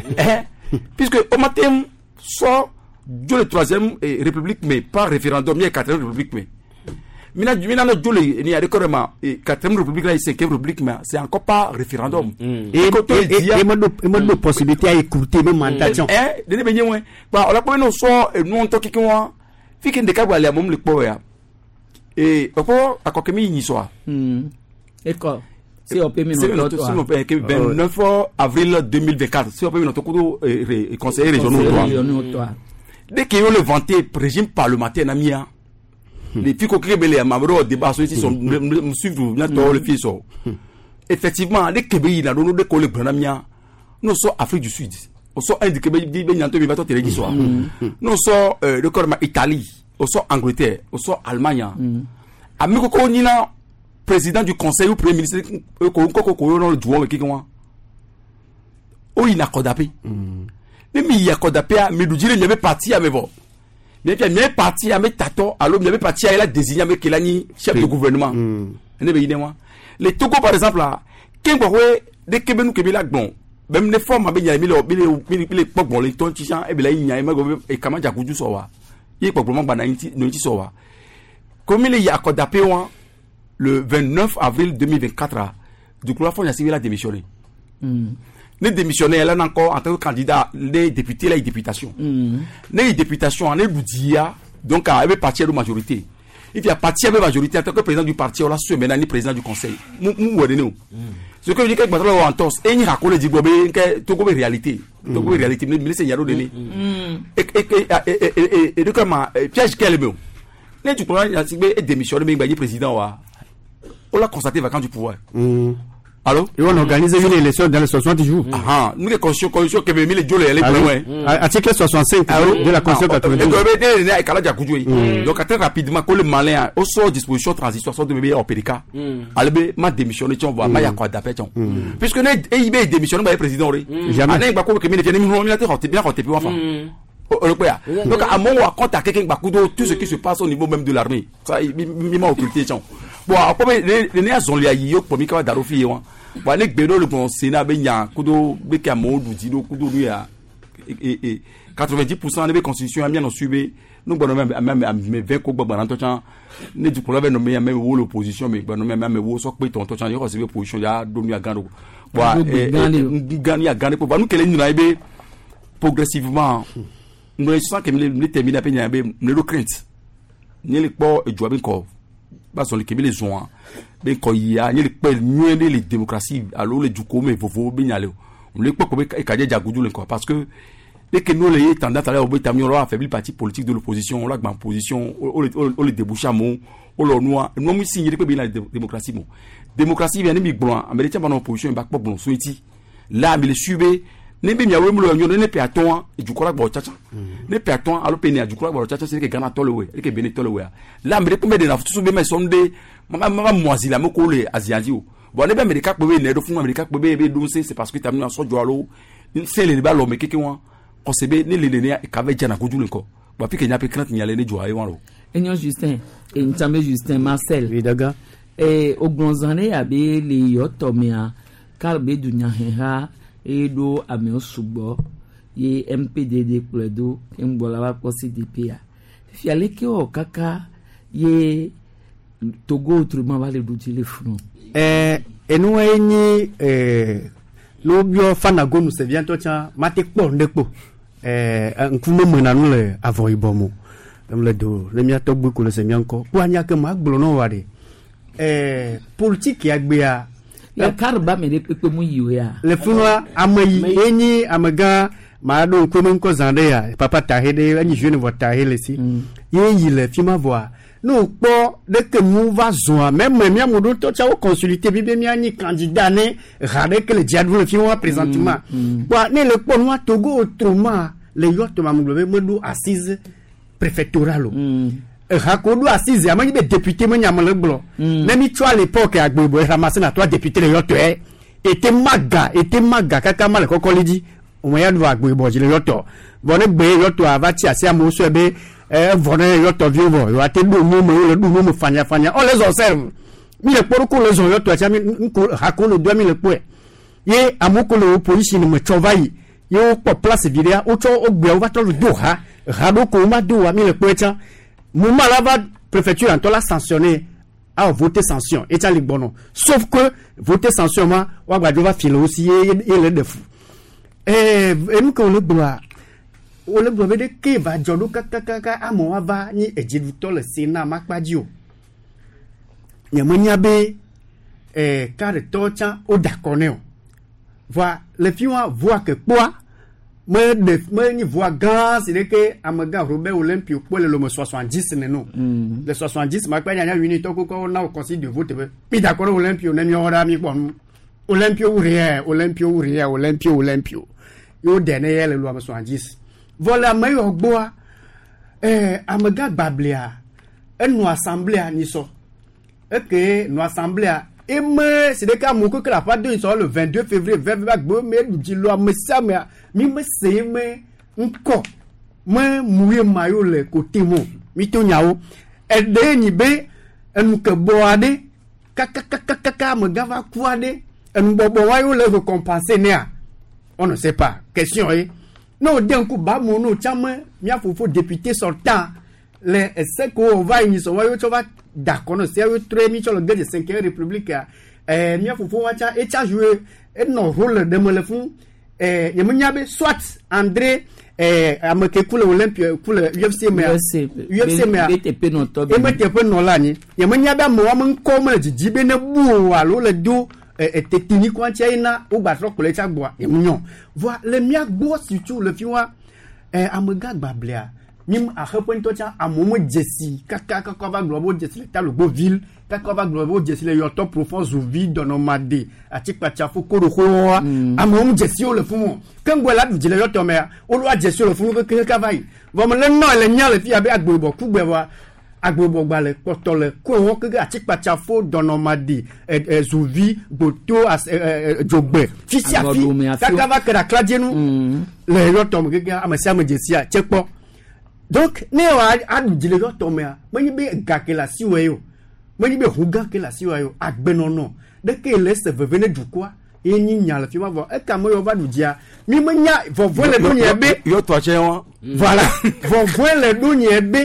Puisque o ma tem sɔ dzo le troisième eh, république mais par référendum mi ye quatrième république mais mina mina no dzo le ni a de kɔrɔ ma eh, quatrième république la ye cinquième république mais c'est encore pas référendum. Et et et ma do ma do possibilité à écouter mes mandats. Eh dene be nye wɛ ba ɔlɔ kpɔ no sɔ enu ŋutɔ keke wa fi ke ɖeka gba le amewo le kpɔ ya ee ɔkpɔ akɔkɛ mi nyi sɔa. Ekɔ C O P mi nɔ tɔ toi. vingt-neuf avril deux mille vingt-quatre C O P mi nɔ tɔ kudo conseiller régionaux toi. Dès qu'ils ont le vanté régime parlementaire na mia les filles qui ont les débat sur sont suivre le fils effectivement dès que il a donné des collègues na mia nous sommes Afrique du Sud on sort indiqué ben nyanto mi va to télé soir nous sommes le corps Italie on sort Angleterre on sort Allemagne ami koko nina président du conseil ou premier ministre ko ko ko no duwo ke kan o ina kodape ne mi ya kodape a mi dujire mi be parti a me vo mi fi mi parti a me tato alo mi be parti a la désigné me kelani chef de gouvernement ne be yine wa les Togo par exemple là ken gbo we de kebe nu kebe la gbon même ne forme be nya mi le mi le mi le pogbon le ton ti e be la nya me go e kama jakuju so wa ye pogbon ma gba na nti no ti so wa comme il y a kodape wa le vingt-neuf avril deux mille vingt-quatre, du coup, la fois, il a démissionné. Mm. Ne démissionné, elle a encore en tant que candidat, les députés, la députation. Les députation, les Boudia, donc, elle est partie de la majorité. Il y a parti avec la majorité en tant que président du parti, on l'a su maintenant, président du conseil. Nous, nous, ce que je dis, que je en torse, et il raconte les dibobé, que tout comme réalité. Tout comme réalité, mais c'est Yaro Denis. Et, et, et, et, et, et, comment, piège quel est le mot? Du coup, il a démissionné, mais il est président, on l'a constaté vacant du pouvoir. Mmh. Allô? Et on organise une élection dans les soixante jours. Ah, nous, les constitutions, constitutions, que les Jolé, les Article soixante-cinq de la Constitution quatre-vingt-douze. Donc, très rapidement, quand le malin, au sort disposition transitoire, sort de bébé en P D K, allez, m'a démissionné, tu vois, m'a yakwa d'appel, tu vois. Puisque nous, I B démissionné, bah, président, jamais. Donc, à mon compte à quelqu'un, tout ce qui se passe au niveau même de l'armée, ça, il m'a occulté, tu vois. Bon, après, les néas ont les yo pour mika darofi yo. Bon, les bédo le bon Sénat ben ya kudo beka mo dido kudo lui ya et et quatre-vingt-dix pour cent de constitution amia non subi nous bon même même même vingt ko gbagba ntochan ne du ko nommé même wo l'opposition mais bon même même wo so pe ton tochan yo recevoir position ya do ya gando. Bon, gani ya gando bon nous kele ni be progressivement nous sens que me terminer à peine be me le crainte. Ni le po e joa ben ko parce que les zones ben ko ya ni le pe nyué les démocratie alors le duko mais vovo ben yale on le ko be ka jagudu le quoi parce que dès que nous les tendance à aller au bout on affaiblir parti politique de l'opposition on la ban position on on le débouche à mon on le noir nous nous signer que la démocratie bon démocratie bien mi blanc américain ban opposition ba bon soiti là mais le subé ne be miawe mu lo nyo ne pe aton e du kola gbo chacha ne pe aton alo pe ne du kola gbo chacha c'est que Ghana tole we e que Benin tole we la me pe de na futu be me sonde mama mama moisi la mo ko le aziadi o bon ne be America pe be ne do fun America pe be be do c'est parce que tamina so jo alo c'est le ba lo me keke won ko se be ne le ne ka ve jana koju le ko ba fi ke nya pe crainte nya le ne jo aye won ro Enyo Justin e ntame Justin Marcel oui daga e ogbonzane abe le yoto me a kalbe dunya ha eɖo amewo sugbɔ ye M P D D kplɔe do ke ŋgbɔ la va kpɔ C D P a fifia leke wɔ kaka ye Togo autrement va le ɖu dzi le funu. Ɛɛ enua ye nyi ɛɛ n'obiɔ fanagonu seviatɔ tsã mate kpɔ ŋɖe kpo ɛɛ ŋkume mena nu le avɔ yibɔ mo le do ne miatɔ gbe ko le se mia ŋkɔ kpo anya ke ma gblɔ nɔ wa de ɛɛ politique ya gbea. La karba me de pepe mu yiwe ya. Le funua ame yi enyi amegã ma ɖo ŋkume ŋkɔ zã ɖe ya papa tahe ɖe enyi jeune vɔ tahe le si. Ye yi le fi ma vɔa ne wòkpɔ ɖeke nu va zɔa meme mía ame ɖewo tɔ tsa wo consulter bi be míanyi candidat ne ha ɖeke le dzia ɖum le fi ma présentement. Kpoa ne le kpɔ nua Togo autrement le yɔ tɔma me gblɔ be meɖo assise préfectorale o. Ha ko ɖo assise ame nyi be député me nya me le gblɔ. Ne mi tsɔ à l'époque agbebo ramassé na toi député le yɔtɔe ete maga ete maga kaka ma le kɔkɔli dzi ome ya ɖu agbebo dzi le yɔtɔ vɔ ne gbe yɔtɔa va tsi asi amewo sɔe be evɔ ne yɔtɔviwo vɔ yewoate ɖo nu me wole ɖu nu me fanyafanya on les observe mi le kpɔ ɖo ko le zɔ yɔtɔa tsa mi ŋko ha ko le doa mi le kpɔe Ye amewo ko le opposition me tsɔ va yi ye wokpɔ place vi ɖea wotsɔ wogbea wova trɔ do ha ha ɖo ko woma do wa mi le kpɔe tsã moment la va préfecture ŋutɔ la sanctionné awɔ voter sanction etsa le gbɔnɔ sauf que voter sanction ma woagbadzo va fi le wo si ye ye le ɖe fu ɛɛ enu ke wòle gblɔa wòle gblɔ be ɖeke va dzɔ ɖo kakakaka amewo ava nyi edziɖutɔ le Sénat makpa dzi o nye menya be ɛɛ kaɖetɔ tsã woda akɔ nɛ o voa le fi wa voa ke kpɔa me ɖe me nyi voa gã si ɖeke amegã Robert Olympio kpɔ le lome soixante-dix nene le soixante-dix ma kpe nyanya unitɔ koko na wo consigne de vote be mi da akɔ ɖe Olympio ne miawo ɖa mi kpɔ nu Olympio wu rien Olympio wu rien Olympio Olympio ye wo ɖe ne ye le lome soixante-dix vɔ le ame yiwo gbɔa ɛɛ amegã gbablia enɔ assemblée nyi sɔ eke nɔ assemblée eme si ɖeka amewo keke le aƒea do yi sɔ le vingt-deux février vingt vingt gbe me ɖu dzi lo ame sia amea mi me se eme ŋkɔ me mu ye ma yo le kote mo mi to nyawo eɖe nyi be enu ke bɔ aɖe kakakakaka amegã va ku aɖe enubɔbɔ wa yo le récompenser nea on ne sait pas question ye ne o de ŋku ba mo no tsã me mía fofo député sortant le ese ko wo va yi sɔ wa yo tsɔ va da akɔ no sia yo trɔe mi tsɔ le ge de cinquième république a ɛɛ mía fofo wa tsã etsa joué enɔ rôle ɖe me le fún ɛɛ nye me nya be soit André ɛɛ ame ke ku le Olympia ku le U F C mea U F C mea B T P nɔtɔ eme teƒe nɔ la anyi nye me nya be amewo ame ŋkɔ me le dzidzi be ne bu o alo le do ɛ tetini kɔntsia yi na wogba trɔ kplɔe tsa gbɔa nye me nyɔ voa le mía gbɔ surtout le fi wa ɛ amegã gbablia mi axe ƒe ŋutɔ tsã amewo me dzesi kaka kaka va gblɔ be wo dzesi le Talogbo ville kaka va gblɔ be wo dzesi le Yɔtɔ Profond Zuvi Dɔnɔmade Atikpatsafo Koɖoxoa amewo me dzesi wo le fún o ke ŋgɔ la ɖu dzi le Yɔtɔ mea wolo adzesi wo le fún keke kaka va yi vɔ me le nɔ le nya le fi abe agboyibɔ kugbe vɔa agboyibɔ gbalẽ kpɔtɔ le ko keke Atikpatsafo Dɔnɔmade ɛ ɛ Zuvi Gboto as ɛ ɛ Dzogbe fi sia fi kaka va ke ɖe akladzenu le Yɔtɔ me keke ame sia ame dzesia tse kpɔ. Donc ne wa aɖu dzi le Yɔtɔ mea menye be ga ke le asiwò ye o menye be ʋu gã ke le asiwò ye o agbenɔnɔ ɖeke le ese veve ne dukɔa ye nyi nya le fi ma vɔ eka me yɔ va ɖu dzia mi menya vɔvɔe le ɖo nye be Yɔtɔ tsɛ wa. Voilà, vɔvɔe le ɖo nye be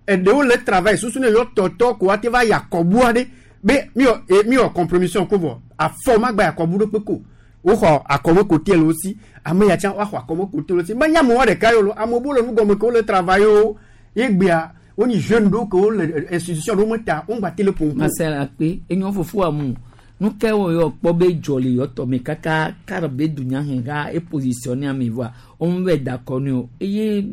eɖewo le travail susu ne yɔtɔtɔ ko ate va yi akɔbu aɖe be mi wɔ e mi wɔ compromission ko vɔ afɔ ma gba yi akɔbu ɖo kpe ko woxɔ akɔme kote le wo si ame ya tsã woaxɔ akɔme kote le wo si menya amewo ɖeka yi o lo amewo bo le nugɔme ke wole travail o ye gbea wonyi jeune ɖewo ke wole institution ɖewo me ta wogba te le ƒom. Marcel akpe enyo fofo amu nu ke wo yɔ kpɔ be dzɔ le yɔtɔ me kaka kar be dunya hɛn ka e positionné ame voa wo bɛ da kɔ ne o eye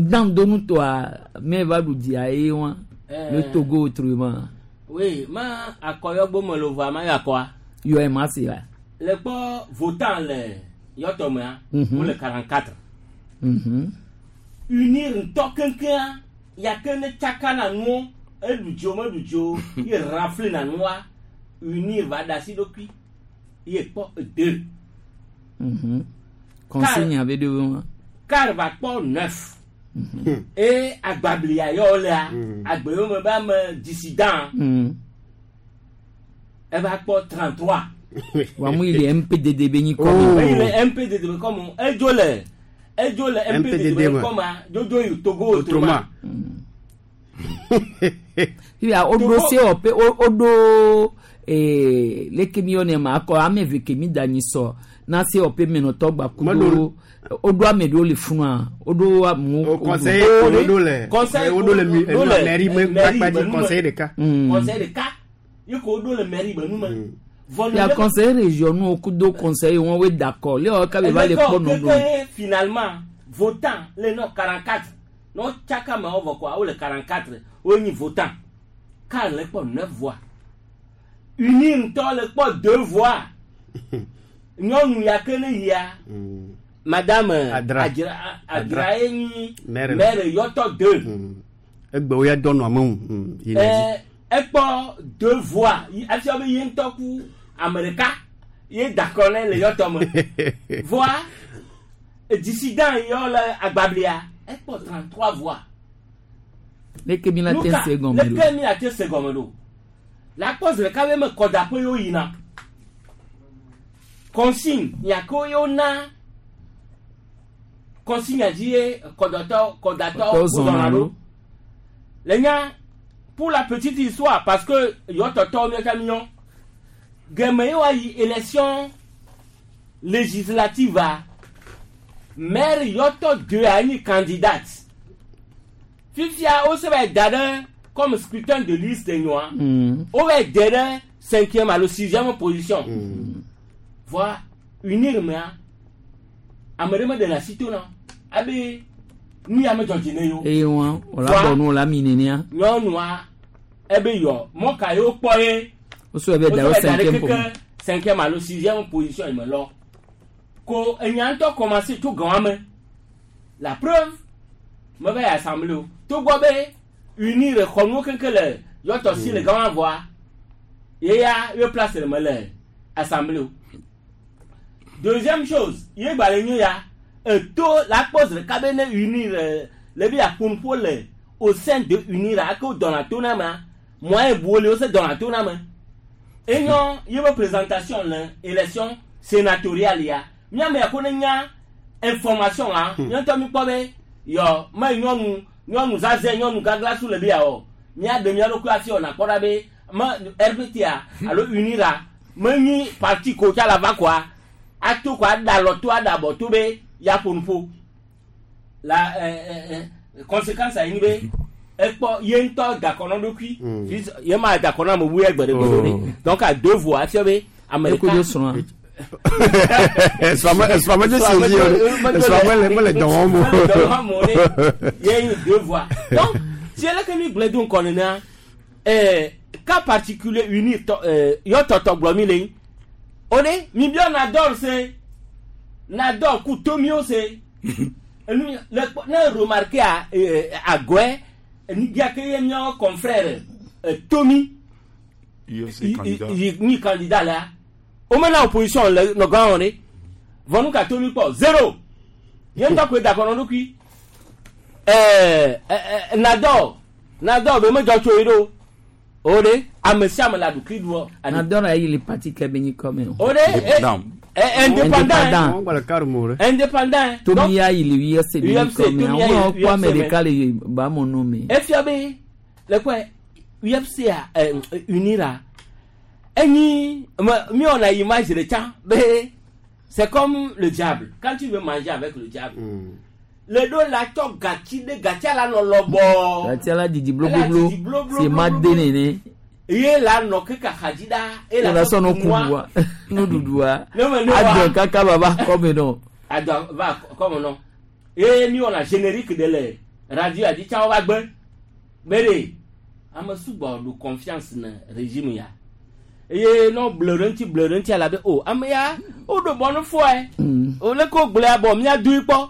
dan do nutɔa mɛ va ɖu dzia ye wa le Togo autrement. Oui, ma akɔyɔgbo me lo voa ma yɔ akɔa. Yɔ ɛ ma se la. Le kpɔ votant le Yɔtɔ mea Mhm. wole quarante-quatre. Mhm. Unir ŋutɔ keŋkeŋa yake ne tsaka na nuwo eɖu dzi o meɖu dzi o ye rafle na nua unir va da asi ɖokui ye kpɔ deux. Mhm. Consigne abe de wa. Car va kpɔ neuf. Eye agbablia yɔ wolea agbewo me be ame dissident Mhm. eva kpɔ trente-trois. Wa mu yi le M P D D be nyi kɔ. Eyi le M P D D be kɔmu edzo le edzo le M P D D be M P D D me. kɔma dzodzo yi Togo autrement. Fifia woɖo sewɔƒe wo woɖo ee leke mi yɔnɛ ma akɔ ame eve ke mi da nyi sɔ na sewɔƒe menɔtɔ gba kudo woɖo ame ɖewo le funua woɖo amewo. Conseiller woɖo le woɖo le mi enu mairie me kpakpa dzi conseiller ɖeka. Conseiller ɖeka yi ko woɖo le mairie be nu me. Vɔ Ya conseiller régionaux kudo conseiller wọn we d'accord le wɔ kabe va le kpɔ nɔ do. Keke finalement votant le nɔ quarante-quatre n'o tsaka ma wo vɔ kɔa wole quarante-quatre wonyi votant car le kpɔ neuf voix uni ŋutɔ le kpɔ deux voix nyɔnu ya ke ne yia madame Adra. Adra Adra ye nyi Maire. Maire Yɔtɔ deux. Egbewo ya dɔ nɔ ame ŋu mm, yi ne dzi. Ɛɛ ekpɔ deux voix Yi- efia be ye ŋutɔ ku ame ɖeka ye dakɔ ne le Yɔtɔ me voa dissident yɔ le agbablia ekpɔ trente-trois voix. Leke mi la te Nuka- se gɔme do. Leke mi la te se gɔme ɖo la kpɔ zi ɖeka be me kɔdaƒe yewo yina. Consigne yako yo na consigne dzi ye kɔdɔtɔ kɔdatɔ Kɔzɔna ɖo. Le nya pour la petite histoire parce que yɔ tɔtɔ mi ka miɔ gɛmɛ ye wa yi élection législative a maire yɔtɔ deux a nyi candidate fifia wo se va da ɖe comme scrutin de liste nyɔa Mm. wo va de ɖe cinquième alo sixième position voa unir mea ame ɖe meɖe le asi to na abe nu ya medzɔ dzi ne yewo eye wọn wòle Voa- abɔ nu wòle ami nenea nyɔnua ebe yɔ mɔ ka yewo kpɔ ye wosɔ ebe da wo wosɔ da ɖe cinquième keke position cinquième alo sixième position yi me lɔ ko enya ŋutɔ commencé tso gãwa me la preuve me va yi assemblée o togbɔ be unir xɔnuwo keŋkeŋ le yɔtɔ si le gãwa vɔa ye ya ye place le me le assemblée o deuxième chose ye gba le nyo ya eto la kpɔ zi ɖeka be ne unir eh, le bi aƒonuƒo le au sein de unir ake wo dɔna to na mea moyen buwo le wo se dɔna to na me enyɔ ye be présentation le élection sénatoriale ya miame ya ko ne nya information a nye ŋutɔ mi kpɔ be yɔ me nyɔnu nyɔnu zazɛ nyɔnu gaglasu le bi ya o mía ɖe mía ɖokui afi o nakpɔ ɖa be me RPT alo unira me nyi parti ko tsa la va koa ato ko aɖa alɔ to aɖa abɔ to be ya ƒo nuƒo la ɛ ɛ ɛ conséquence ayi ni be ekpɔ ye ŋutɔ dakɔ na ɖokui Fils- ye ma dakɔ na ame bu ye gbe ɖe gbe ɖe donc à deux voix afia be ame eko do srɔ̃a Esrɔ̃ me si dzi o esrɔ̃ me le dɔ wɔm o. Mele dɔ wɔm o ɖe. Ye nyi deux voix donc si eleke mi gblẽ do ŋkɔ nenea ɛɛ cas particulier uni tɔ ɛɛ yɔ tɔtɔ gblɔ mi le yi o de mi biɔ nadɔl se nadɔl ku tomiwo se enu le kpɔ ne remarqué a ɛɛ agɔɛ enidia ke ye miawo confrère ɛ tomi UFC candidat. yi ni candidat la o mena opposition le nɔgã wɔn de vɔnu ka tomi kpɔ zéro ye ŋutɔ koe dakɔ nɔ ɖokui ɛɛ ɛɛ nadɔ nadɔ be medzɔ tso yi ɖo o de ame sia ame le aɖukli ɖuɔ nadɔra yi le parti kɛ be nyi kɔmɛ o o de ɛ indépendant indépendant tomi ya yi le UFC be nyi UFC, kɔmɛ Tomi ya yi àwọn kɔ ame UFC ɖeka le bamɔnu me efia be le kɔe UFC a ɛ unira enyi me mi wɔna image de tsã be c'est comme le diable quand tu veux manger avec le diable le ɖo la tsɔ gatsi ɖe gatsia la nɔ lɔbɔ gati ala didi Ala bloblo didi bloblo, si ma de nene ye la nɔ keke axadzi ɖa ye la sɔ no kunua. kuɖua nuɖuɖua Ne me ne wa- adɔ kaka baba kɔme nɔ adɔ va kɔme nɔ ye mi wɔna générique de le radio adi tsã wo va gbe be ɖe ame sugbɔ ɖo confiance ne régime ya eye nɔ ble ɖe ŋuti ble ɖe ŋuti alabe o ame ya woɖo bɔ nu fɔe o le ko gblẽ abɔ mía doui kpɔ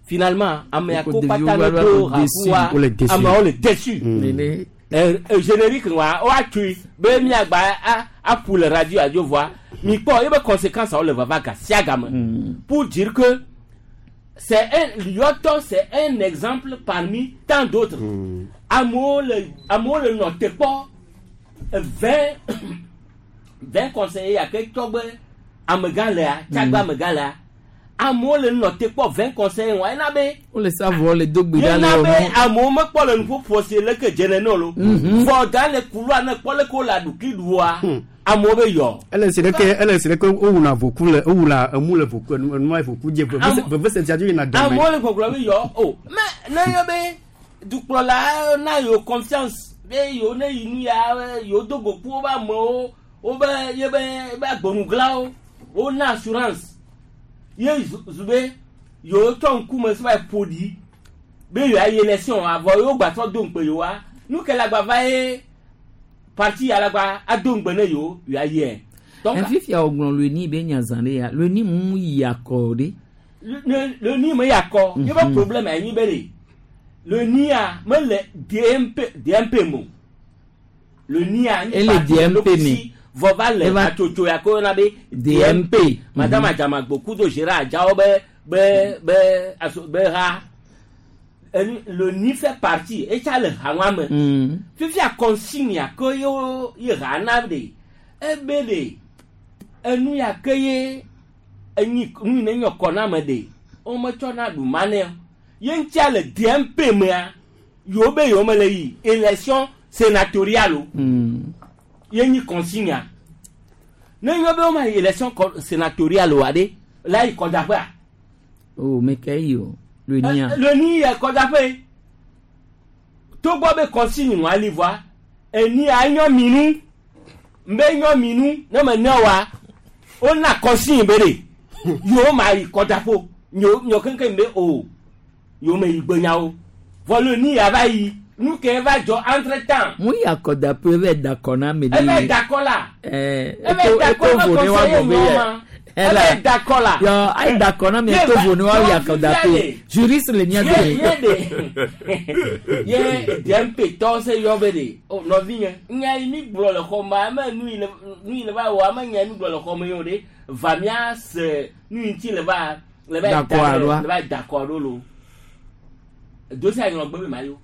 finalement ame ya ko Ko kpata ɖeviwo ne va do va déçu. hakuwa Wole déçu. amewo le déçu nene ɛ ɛ générique wa woatui be miagba a aƒu le radio adzo voa mi kpɔ ebe conséquence wo le vava ga sia game pour dire que c'est un Lyoto c'est un exemple parmi tant d'autres amewo le amewo le nɔ te kpɔ vingt vingt conseillers yake tɔgbe amegã lea tsagbe amegã lea amewo le nɔ te kpɔ vingt conseillers wa ena be wole savɔ le do gbe ɖa le yena be wɔmɔ amewo mekpɔ le nuƒoƒo si leke dze nene o lo vɔ da le kulua ne kpɔ leke wole aɖukli ɖua amewo be yɔ ele si ɖeke ele si ɖeke wowuna voku le wowuna emu le voku enu enua voku dze Am- veve se tia dzo yina dɔme. amewo le gbɔgblɔ be yɔ o mɛ ne yɔ be dukplɔla na yewo confiance be yewo ne yi nu ya yewo do go ku wobe amewo wobe yebe be agbonuglawo wo na assurance ye zu zu be yewo tsɔ ŋkume sɔ va yi ƒo ɖi be yewo ayi élection avɔ yewo gbatrɔ do ŋukpe yewoa nu ke le agbava ye parti ya la gba ado ŋugbe ne yewo yewo ayi yɛ donc fifia wògblɔ loni be nya zã ɖe ya loni mu yi akɔ ɖe le le ni me yakɔ ye be problème anyi be de le nia mele DMP DMP mo le nia nyi Ele parti DMP lokusi me. vɔ va le Eva- atsotso ya ko yɔna be DMP madame Adzamagbo kudo Gérard Adjawo be be be aso be ha enu le ni fait partie etsa le ha wa me Mm. fifia consigne ya ke ye wo ye ha na de ebe de enu ya ke ye Enyi nu ne nyɔ kɔ na ame ɖe wometsɔ na ɖu ma nɛ o. Ye ŋutia le D M P mea, yewo be yewo mele yi élection sénatoriale o. Ye nyi consigne ne nyɔ be woma yi élection kɔ- sénatoriale oa ɖe la yi kɔdaƒea. O me ke yi o le nia. Le ni yɛ kɔdaƒe togbɔ be consigne ŋua li voa eni anyɔ mi nu nbe nyɔ mi nu ne me ne wa wona consigne be ɖe yewo ma yi kɔdaƒo nyɔ nyɔ keŋkeŋ be o yewo me yi gbenyawo vɔ le ni ya va yi nu ke va dzɔ entre temps. Mu yi akɔdaƒe eve da kɔ na ame. Eve da kɔ la. Ɛɛ eve da kɔ eto na vo ne wa conseiller gbɔ be nyɔ yɛ. ma eve da kɔ la. Yɔ ayi da kɔ na mi Ye eto va- vo ne wa yi yɔ akɔdaƒe. fifia le. Juriste le nia ye do. ye de ye D M P tɔ se yɔ be de o nɔvi nye nya yi mi gblɔ le xɔ me ame nu yi le nu yi le va wɔ ame nya yi mi gblɔ le xɔ me yio de va mia se nu yi ŋuti le va le va Da kɔ aloa? le va da kɔ ɖo lo dosi anyɔ gbe be ma yo.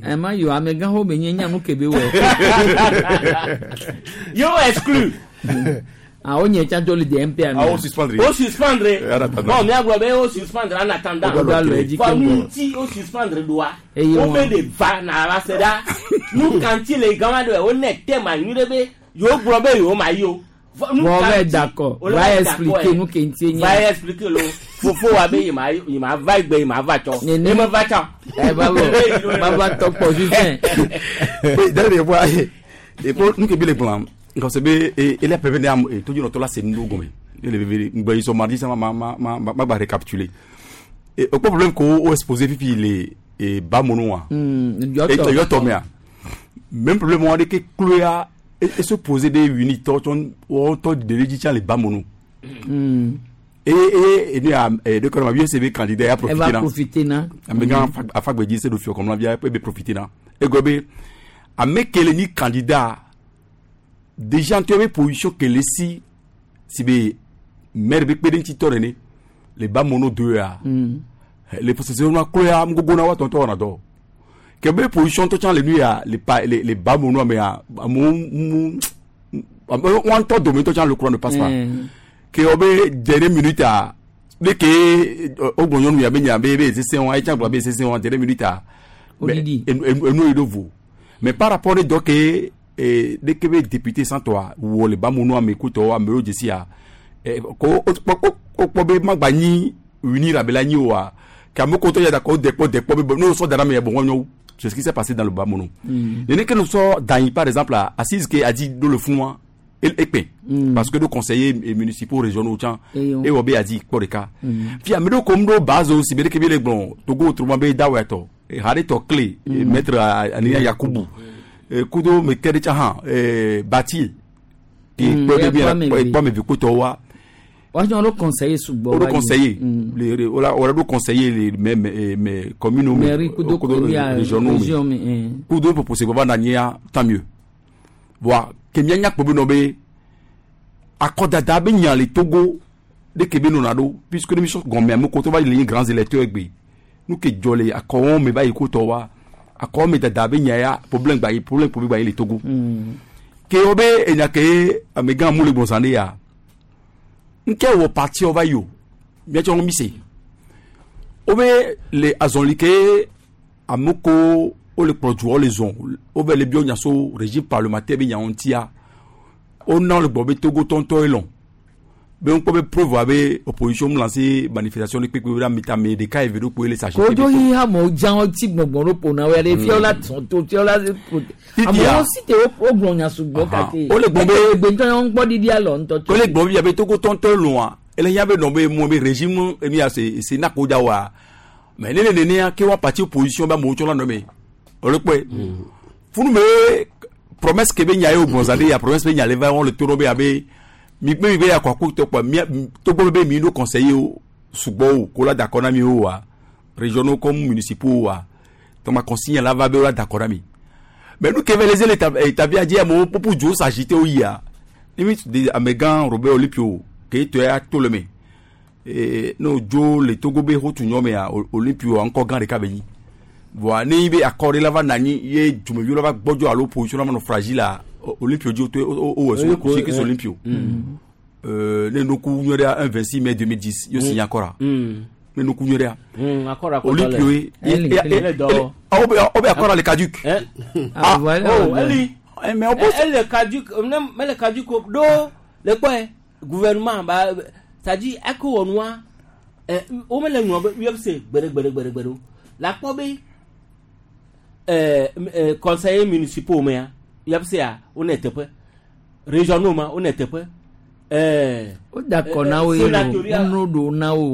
Ɛ ma yɔ amegãxo be nye nya nu ke be wɔ. Yewo exclu. Ah, o nye tsã tso le D M P ami. Ah, o suspendre. O suspendre. En attendant. Bon, mia gblɔ be o suspendre en attendant. O do alɔ edzi Vɔ nu keŋ. ŋuti o suspendre ɖoa Eye wo wɔn. be de va na va se ɖa nu kanti le gama ɖe wo ne te ma nyui ɖe be yewo gblɔ be yewo ma yi o. Vɔ nu Vɔ kanti- va d'accord. o le Va va expliquer d'accord, nu ke ŋuti nye. Va expliquer lo fofo wa be yi ma yi ma va gbe yi ma va tsɔ. Nene. Ye me va tsɔ. Ɛ babo baba tɔkpɔ fifɛn. Oui, d'ailleurs, voit et pour nous qui le blanc quand c'est be et et la P V am et tout notre là c'est nous gomme et le V V ngba ils sont mardi ça ma ma ma ma ma récapituler et au problème qu'on o exposé fifi les et ba mono Hmm, et yɔtɔ. yɔtɔ mea même problème on dit que Chloé et et se poser des unités ton on to de l'édition les ba mono Hmm. et et et nous a et de quand on a C V candidat a Elle va profiter là profiter na. Amega afagbedzi se do fiɔ kɔmla via ebe profiter na egɔ be ame ke le nyi candidat déjà ŋutɔ be position ke le si si be maire be kpe ɖe ŋuti tɔ nene le ba mono do ya Hmm. le possession na klo ya ŋgogo na wa tɔntɔ wɔna dɔ ke be position tɔ tsã le nu ya le pa le le ba mono me ya amewo mu amewo wɔn ŋutɔ dome ŋutɔ tsã le courant ne passe pas Hmm. ke wo be dernière minute a ne ke o gblɔ nyɔnu ya be nya be be sese wa etsã gblɔ be sese wa dernière minute a Odidi. enu enu yi ɖo vo mais par rapport ne dɔ ke eh, ne ke be député santɔa wɔ le bamunu ame kutɔ amewo dzesi ya eh, ko o kpɔ o- o kpɔ be magba nyi unir abe la nyi oa ke ame ko tɔ ya da ko dekpɔ dekpɔ be bon n'o sɔ da na me ya bon wɔnyɔ wu c'est ce qui s'est passé dans le Bamono. Mm. Nene ke nous sort d'Aï, par exemple, à Assise qui a dit dans le fond, et et parce que nos conseillers municipaux, régionaux, tiens, Et et Obé a dit, quoi de cas. Mm. Puis, à Medo, comme nos bases aussi, mais que les blancs, Togo, autrement, bé, Daweto, et Harry Clé, et maître Ania Yakubu, et Kudo, mais quel est et Bati, qui Mm, peut et bien, Kwame et Kwame Vikotowa, Wọ́n ló conseiller sugbɔ. on conseiller, les, on a conseillé les mêmes, mais communes, Mairie kudo régionaux, région mi. eh. kudo propose baba na nyia tant mieux voa ke mia nya kpobe no be akɔdada be nya le Togo de ke be nona ɖo puisque ne mi sɔ gɔmea me ko to va le nyi grands électeurs gbe nu ke dzɔ le akɔwɔn me va yi ko tɔ wa akɔwɔn me dada be nya ya problème gba yi problème kpobe gba yi le Togo ke wo be enya ke amegã mu le gbɔnsã de ya nke wɔ parti va yi o miatsɔ mi se wo be le azɔli ke ame ko wo le kplɔ duɔ le zɔn wo bɛ le biɔ nyaso régime parlementaire be nyawo ŋutia wona le gbɔ be Togo tɔntɔ ye lɔn be ŋkpɔ be preuve abe opposition mu lancer manifestation ne kpekpe be amita ame ɖeka eve ɖo kpoe le s'agiter Kojo yi amewo dza wo ti gbɔngbɔn ɖo ƒona wo ya ɖe fiawo la tɔn to fiawo la amewo si te wo gblɔ nya sugbɔ kake. Wole gblɔ be- gbɛntɔ yɛn ŋkpɔ ɖiɖi alɔ ŋutɔ ko le gbɔ bi abe Togo tɔntɔ lɔa ele hiã be nɔ be mɔ be régime enu ya se se na ko dza wa mais ne le nenea ke wa parti opposition be amewo tsɔ la nɔ me o le kpɔe funu me promesse ke be nya ye o gbɔnza de ya promesse be nya le va wɔn le to ɖo be abe mi gbe mi be ya kɔ ako tɔ kpɔ mia Togo be mi ɖo conseiller o sugbɔ o ko la da kɔ na mi o wa régionaux comme municipaux wa tɔma consigne la va be o la da kɔ na mi mais nu ke ve les établi a dzi amewo popo dzo s'agiter o yia limite de amegã Robert Olympio ke tɔ ya to le me ee n'o dzo le Togo be hotu nyɔ mea Olympio ŋkɔ gã ɖeka be nyi voa ne yi be akɔ ɖe la va na anyi ye dumeviwo la va gbɔdzɔ alo position la va nɔ fragile a Olympio dzi o to o o wɔ so si ke Olympio. Euh, ne nuku nyɔria un vingt-six mai deux mille dix yo signé accord ne nuku nyɔria Olympio ye aw bɛ accord le caduc. Ah oh eli mais on le caduc mais le caduc do le kpɔe gouvernement ba c'est-à-dire ako wɔnua o mele ŋlɔ be U F C gbede gbede gbede gbede o la kpɔ be ɛɛ conseillers municipaux mea U F C a wo ne teƒe régionaux ma wo ne teƒe. O dakɔ na wo ye o no do na wo. O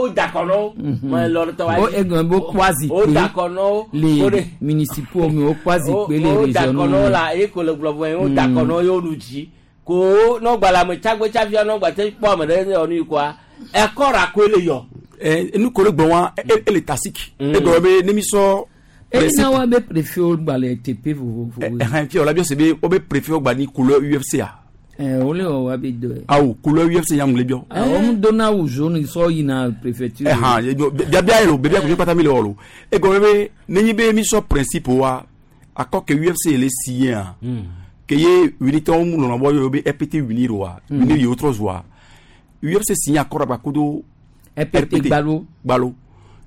dakɔ na wo. O egɔn bo kɔ o dakɔ na wo. Le municipaux mi o kɔ azikpe le régionaux. O dakɔ na wo la e ko le gblɔ vɔ ye o dakɔ na wo ye o nu dzi ko n'o gba la ame tsagbe tsafia n'o gba te kpɔ ame ɖe yɔ nu yi koa ɛkɔ ra koe le yɔ. Ɛ nu ko le gbɔn wa e le tasik. E gbɔ be ne mi sɔ. E na wa be préfet o gba le T P vovovo. Ɛhɛn fi o la bi se be o be préfet o gba ni couleur U F C a. Eh, o le wa be do. Awo couleur U F C yam le bio. Ah, o mu dona wu jaune so yina préfecture. Eh han, bia bia elo, bia ko pata mi le olo. E go be ne be mi so principe wa akọ ke U F C le signé a. Ke ye unité mu lo na bo yo be R P T unir wa, unir yo autres wa. U F C signé accord ba kodo R P T Gbalo. Gbalo.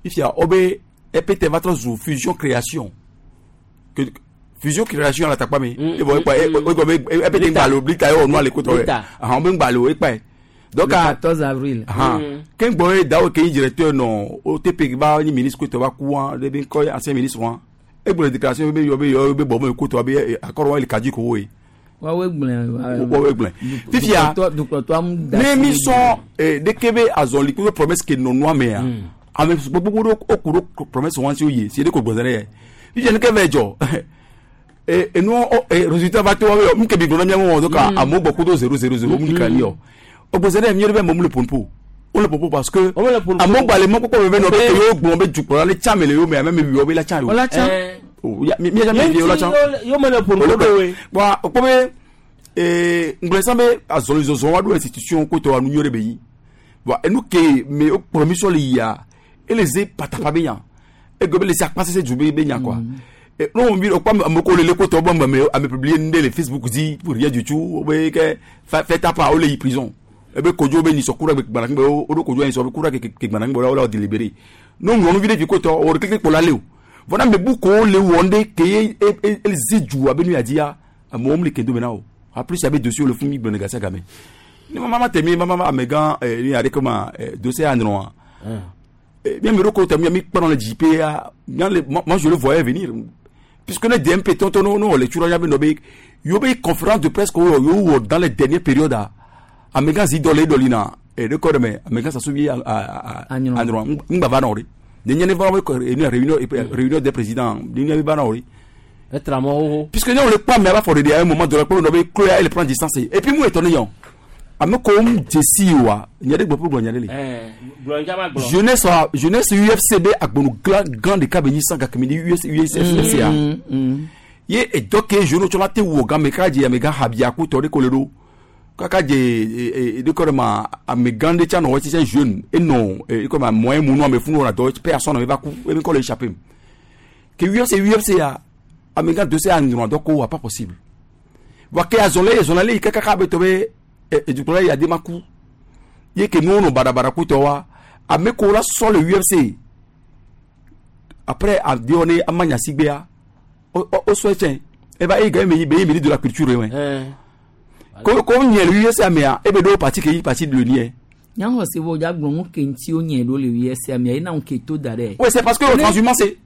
Ifia o be R P T va trop fusion création. Que fusion création la takpa mi e bo e e go e pe ngbalo blita e onu ale ko to re ah on be ngbalo e pa donc le quatorze avril ah ken gbo e dawo ke directeur no O T P ba ni ministre ko to ba ku an de be ko ancien ministre wan e gbo déclaration be yo be yo be bo mo ko to be accord wa le kaji ko we wa we gblen wa we gblen fifia ne mi so e de kebe azoli ko promesse ke no no me a ame gbogbo o ku promesse wan si oye si de ko gbozere fifia ne ke vejo et nous résultat va toi mi ke bi gbona mi mo donc a mo beaucoup de zéro zéro zéro mi kan yo o gbozere mi rebe mo le pompo o le pompo parce que a mo gba le mo koko be no be yo gbon be ju pora le cha me le yo me me mi yo be la cha yo la cha mi mi jamais vi la cha yo me le pompo do we bon o ko be eh nglesan be azoli zozo wa do institution ko to anu nyore be yi bon et nous ke me o promission le ya et les patapa be yan et go be les passer c'est du be yan quoi. Non, on dit, on le côté bon, mais à me publier les Facebook dit pour rien du tout, que fait ta part, on est prison. Et ben Kodjo ben ils sont courant avec Banang, o Kodjo ils sont courant avec Banang, on l'a délibéré. Non, on vit du côté, on clique pour l'aller. Voilà, mais beaucoup les wonde qui est les jou a ben a dit à mon homme les kedo maintenant. En plus il y avait dossier le fumi ben gassa gamé. Ni maman temi maman amegan ni a comment dossier à droit. Bien me roko temi mi prend le J P A, moi je le voyais venir. Puisque les D M P, tonton, non, les tueurs, il y a une conférence de presse dans les dernières périodes. À Mégan, Zidolé, Dolina, et le corps, mais à Mégan, ça se vit à Androa. M'ba Il y a une réunion, réunion des présidents. Il y a une Puisque nous, on le pas, mais à un moment donné, on a elle prend distance. Et puis, moi, étonné, comme Jesse, il y a des problèmes. Jeunesse, jeunesse U F C B a grand grand de cabini sans kamini U S U S F C A. Ye et donc jeune tu la te wo ga meka je mega habia ku tore kolero. Kaka je de korema a me grande cha no ti jeune et non et comme moyen mou non me funu na do personne ne va ku e me ko échapper. Que U F C U F C A a mega dossier en droit donc pas possible. Wa ke azolé azolé kaka ka be tobe et du coup là il y a des makou. Il y a que nous on barabara kutowa a meko la sur le U F C. Après a dit on est amanya sigbea au au soutien. Et bah il gagne mais il de la culture ouais. Comme comme il y a le U F C mais et ben do parti qui parti de le nier. Nyango se wo ja gbon ke nti o nyen do le U F C mais ina on ke to dare. Ouais, c'est parce que le transhumance c'est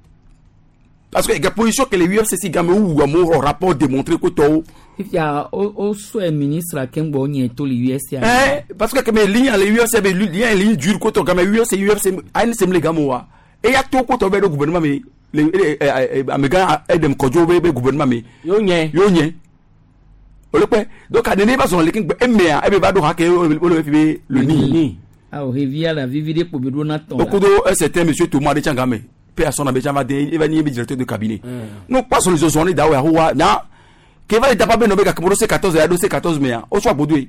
parce que la position que les U F C si gamme ou un rapport démontré que to Ifia o o so ministre akengbo nyen to le U F C. Eh parce que mais ligne les U F C mais lien ligne dur ko to gamme U F C U F C A N C le gamowa et ya to ko to be do gouvernement mais les amega edem kojo be gouvernement mais yo nyen yo nyen o le pe donc adene ba son le king e me a e be ba do ha ke o le fi le ni ah o revia la vivide po be do na ton okudo c'était monsieur Thomas de Tchangame personne n'a jamais dit il va ni directeur de cabinet nous passons les zones d'awa huwa na ke va l'étape be no be ka C quatorze ya C quatorze mais o soit bodoué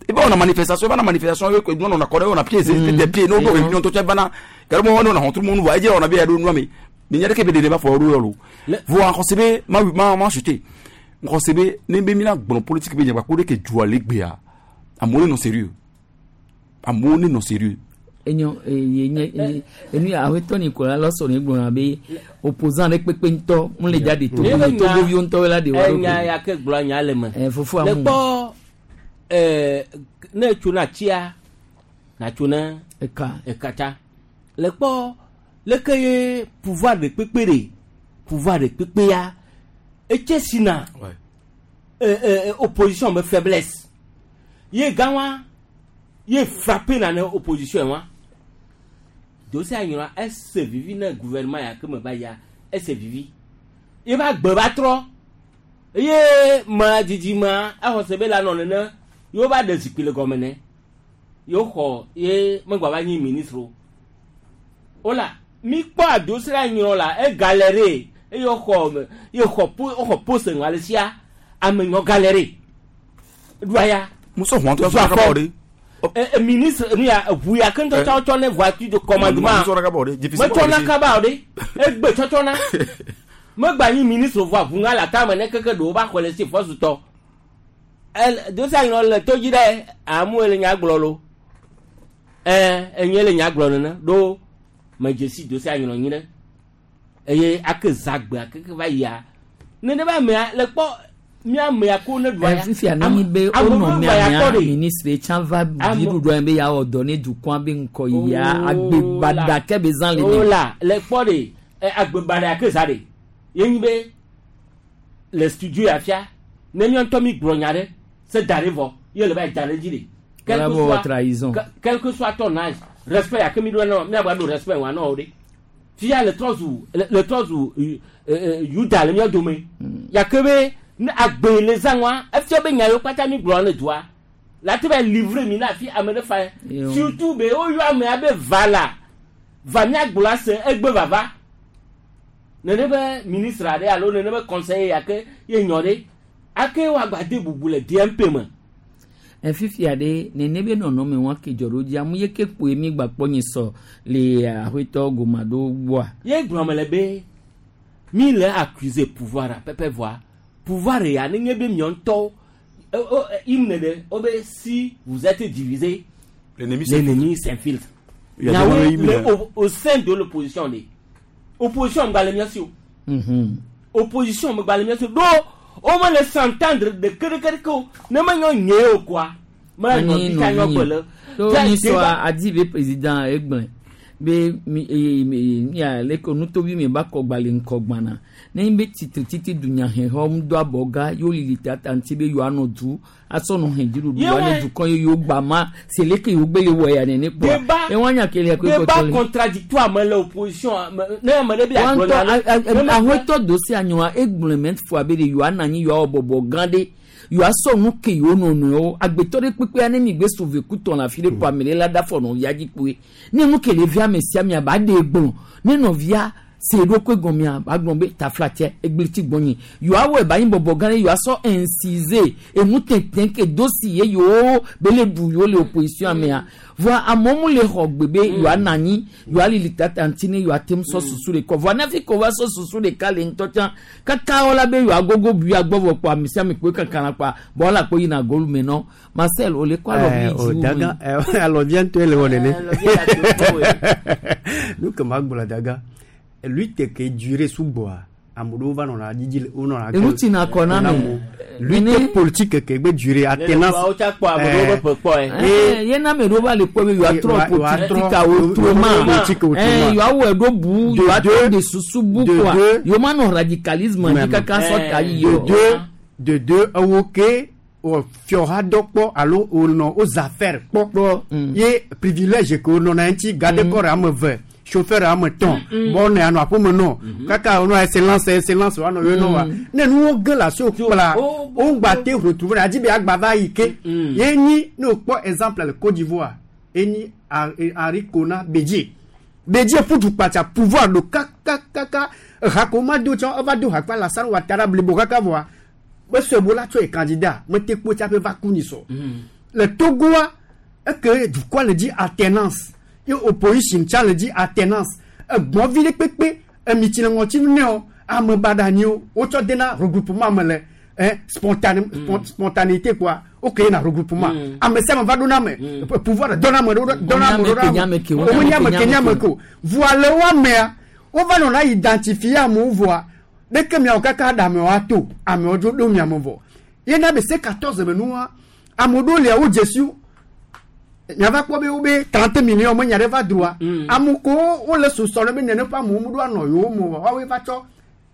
et ben on a manifestation, on a manifestation, nous on a coré, on a pieds, des pieds, nous réunion tout bana. Car moi on a rentré monde va dire on a bien nous mais mais il y a des débat pour nous. Vous en concevez ma ma ma chuté. Ŋxɔ se be ne be mina gblɔ politique be nyagba ko ɖe ke dua le gbea amewo ne nɔ sérieux amewo ne nɔ sérieux. Enyo ye nye enu ya awetɔ ni kola lɔsɔ ne gblɔna be opposant ɖe kpekpe ŋutɔ mu le dza de togo me togoviwo ŋutɔ la de wa ɖo. Enya ya ke gblɔ nya le me. Ɛ fofo le amu. Kpɔ ɛɛ ne tso na tsia na tso na. Eka. Ekatsa le kpɔ leke ye pouvoir de kpekpe de pouvoir de kpekpe ya etse sina ɛ ɛ opposition be faiblesse ye gã wa ye frappé na ne opposition wa dossier anyɔna ese vivi ne gouvernement ya ke me va ya ese vivi ye ba gbe ba trɔ ye ma didi ma exɔ se be la nɔ nene yewo va ɖe zikpui le gɔme ne yewo xɔ ye megba va nyi ministre o wola mi kpɔ adossier anyɔ la e galère eye woxɔ ye xɔ po woxɔ poste ŋua le sia ame nyɔ galère ɖua ya. Muso huan to sɔ kaba o de. E ministre nu ya eʋu ya ke ŋutɔ tsɔ tsɔ ne voiture de commandement metsɔna kaba o de egbe tsɔtsɔna megba nyi ministre vɔ ʋu ŋa le atame ne keke ɖewo va xɔ le si fɔsutɔ el dossier anyɔ le to dzi ɖe amu le nya gblɔ lo ɛ enye le nya gblɔ nene ɖo medzesi dossier anyɔ nyi ɖe eye ake zagbe akeke va yia nene ba mea le kpɔ mía mea ko ne ɖua ya fifia ne nyi be wonɔ mia mia ministre tsã va dziɖuɖua yi be yeawɔ dɔ ne dukɔa be ŋkɔ yia agbebaɖa ke be zã le ne. Ola le kpɔ de agbebaɖa ke zã de ye nyi be le studio ya fia ne mía ŋutɔ mi gblɔ nya ɖe se da ɖe vɔ ye le va yi da ɖe dzi de. Quel que soit trahison. Quel que soit ton âge respect ya ke mi ɖo nɔ mía gba ɖo respect wa nɔ o de fia le trɔ zu le trɔ zu yuda le mía dome ya ke be ne agbe le zã wa efia be nya yiwo kpata mi gblɔ ne dua la te va livrer mi na fi ame ɖe fa surtout be woyɔ amea be va la va mía gblɔ ase egbe vava nene be ministre aɖe alo nene be conseiller ya ke ye nyɔ ɖe ake woagba de bubu le D M P me. Fifia ɖe nene be nɔnɔme wa ke dzɔ ɖo dzi amu ye ke kpoe mi gba kpɔ nyi sɔ le aƒetɔ goma ɖo gbɔa. Ye gblɔ me le be mi le accuser pouvoir a pɛpɛ voa pouvoir ya ne nye be miɔ ŋutɔwo hymne ɖe wo be si vous êtes divisé l'ennemi s'infiltre. Nyawo le au, au sein de l'opposition de opposition gba le mia si o. Opposition gba le mia si o do o me le s'entendre de kerekereke o ne me nyɔ nye o quoi me nyɔ bi ka nyɔ gbe le. To nyi sɔ adi be président egblẽ be mi mia le ko nutovi mi ba kɔ gba le ŋkɔ gbana ne be titre titi dunyahehɔ ŋu do abɔ ga yewo lili tata ŋuti be yewoa nɔ du asɔ nɔ hɛn dziɖuɖu wa ne dukɔ ye yewo gba ma seleke yewo gbe le wɔ ya nene kpɔa ewa nya kele ko ekɔtɔ le. Débat contradictoire me le opposition ne ame ɖe bi agblɔ na. Ahɔtɔ do si anyɔa egblẽ mɛ fua be de yewoa na anyi yewoa wɔ bɔbɔ gã ɖe yewoa sɔ nu ke yewo nɔnɔewo agbetɔ ɖe kpekpea ne mi gbe sauve kutɔ le afi ɖe kpɔ ame ɖe la da fɔ nɔvia dzi kpoe ne nu ke le via me sia mia ba ɖe gblɔ ne nɔvia se ɖokui gɔmea ba gblɔ be taflatsɛ egbliti gbɔnyi yewoa wɔ eba nyi bɔbɔ gã ɖe yewoa sɔ incise enu tɛntɛn ke do si ye yewo be le ɖu yewo le opposition mea voa amewo mu le xɔ gbe be yewoa na anyi yewoa lili tata ŋuti ne yewoa te ŋu sɔ susu ɖeka voa ne hafi ko va sɔ susu ɖeka le ŋutɔ tsã kaka wɔla be yewoa gogo bui agbɔ vɔ kpɔ ame sia ame kpoe kankana kpɔa bɔn wala kpo yina golu me nɔ Marcel o le kɔ alɔvi dzi wo me. Alɔvia ŋutɔe le wɔ nene nu ke ma gblɔ daga lutte ke duré sugbɔa ame ɖewo va nɔna dzidzi wo nɔna. Enu tina kɔ na me. Lutte politique ke gbe duré attenance. Ye na ame ɖewo va le kpɔ be yewoa trɔ politique autrement yewoa wɔ ɖo bu yewoa trɔ de susu bu kɔa yewo ma nɔ radicalisme dzi kaka sɔ ta yi o. De deux de deux ewo ke fiɔha dɔ kpɔ alo wonɔ wo affaire kpɔ ye privilège ke wonɔna ŋuti garde corps ame eve. Chauffeur ame tɔn bɔn ne anɔ aƒeme nɔ kaka wonɔ excellence excellence wanɔ yɔ nɔ wa ne nuwo ge le asiwo kpla wo ŋgba te retrouver adi be agba va yi ke ye nyi ne wokpɔ exemple le Côte d'Ivoire enyi Henri Konan Bédié Bédié ƒu kpatsa pouvoir do kakakaka ehako ma do tsã eva do hakpa Alassane Ouattara blibo kaka vɔa mesɔe bo la tsɔ ye candidat mete kpo tsaƒe va ku ni sɔ le Togoa eke dukɔa le dzi alternance ye opposition tsa le dzi alternance egbɔvi ɖe kpekpe emitsi le ŋɔtinu ne o ame baɖa nyi o wotsɔ dena regroupement me le hein, spontané mm. spontanéité quoi ok na regroupement mm. ame sia ame va ɖo na ame pouvoir dɔ na ame ɖo dɔ na ame ɖo na ame wo nye ame ke nye ame ke o voa le wo amea wova nɔna identifier amewo voa ɖeke miawo kaka ɖe amewo ato amewo dzo ɖo miame vɔ yena be C quatorze me nua ame ɖewo lia wo dzesi wo miava kpɔ be wo be trente millions me nya ɖe va droa ame ko wole susɔ ɖe be nene ƒe amewo mu ɖo anɔ yewo me o woawoe va tsɔ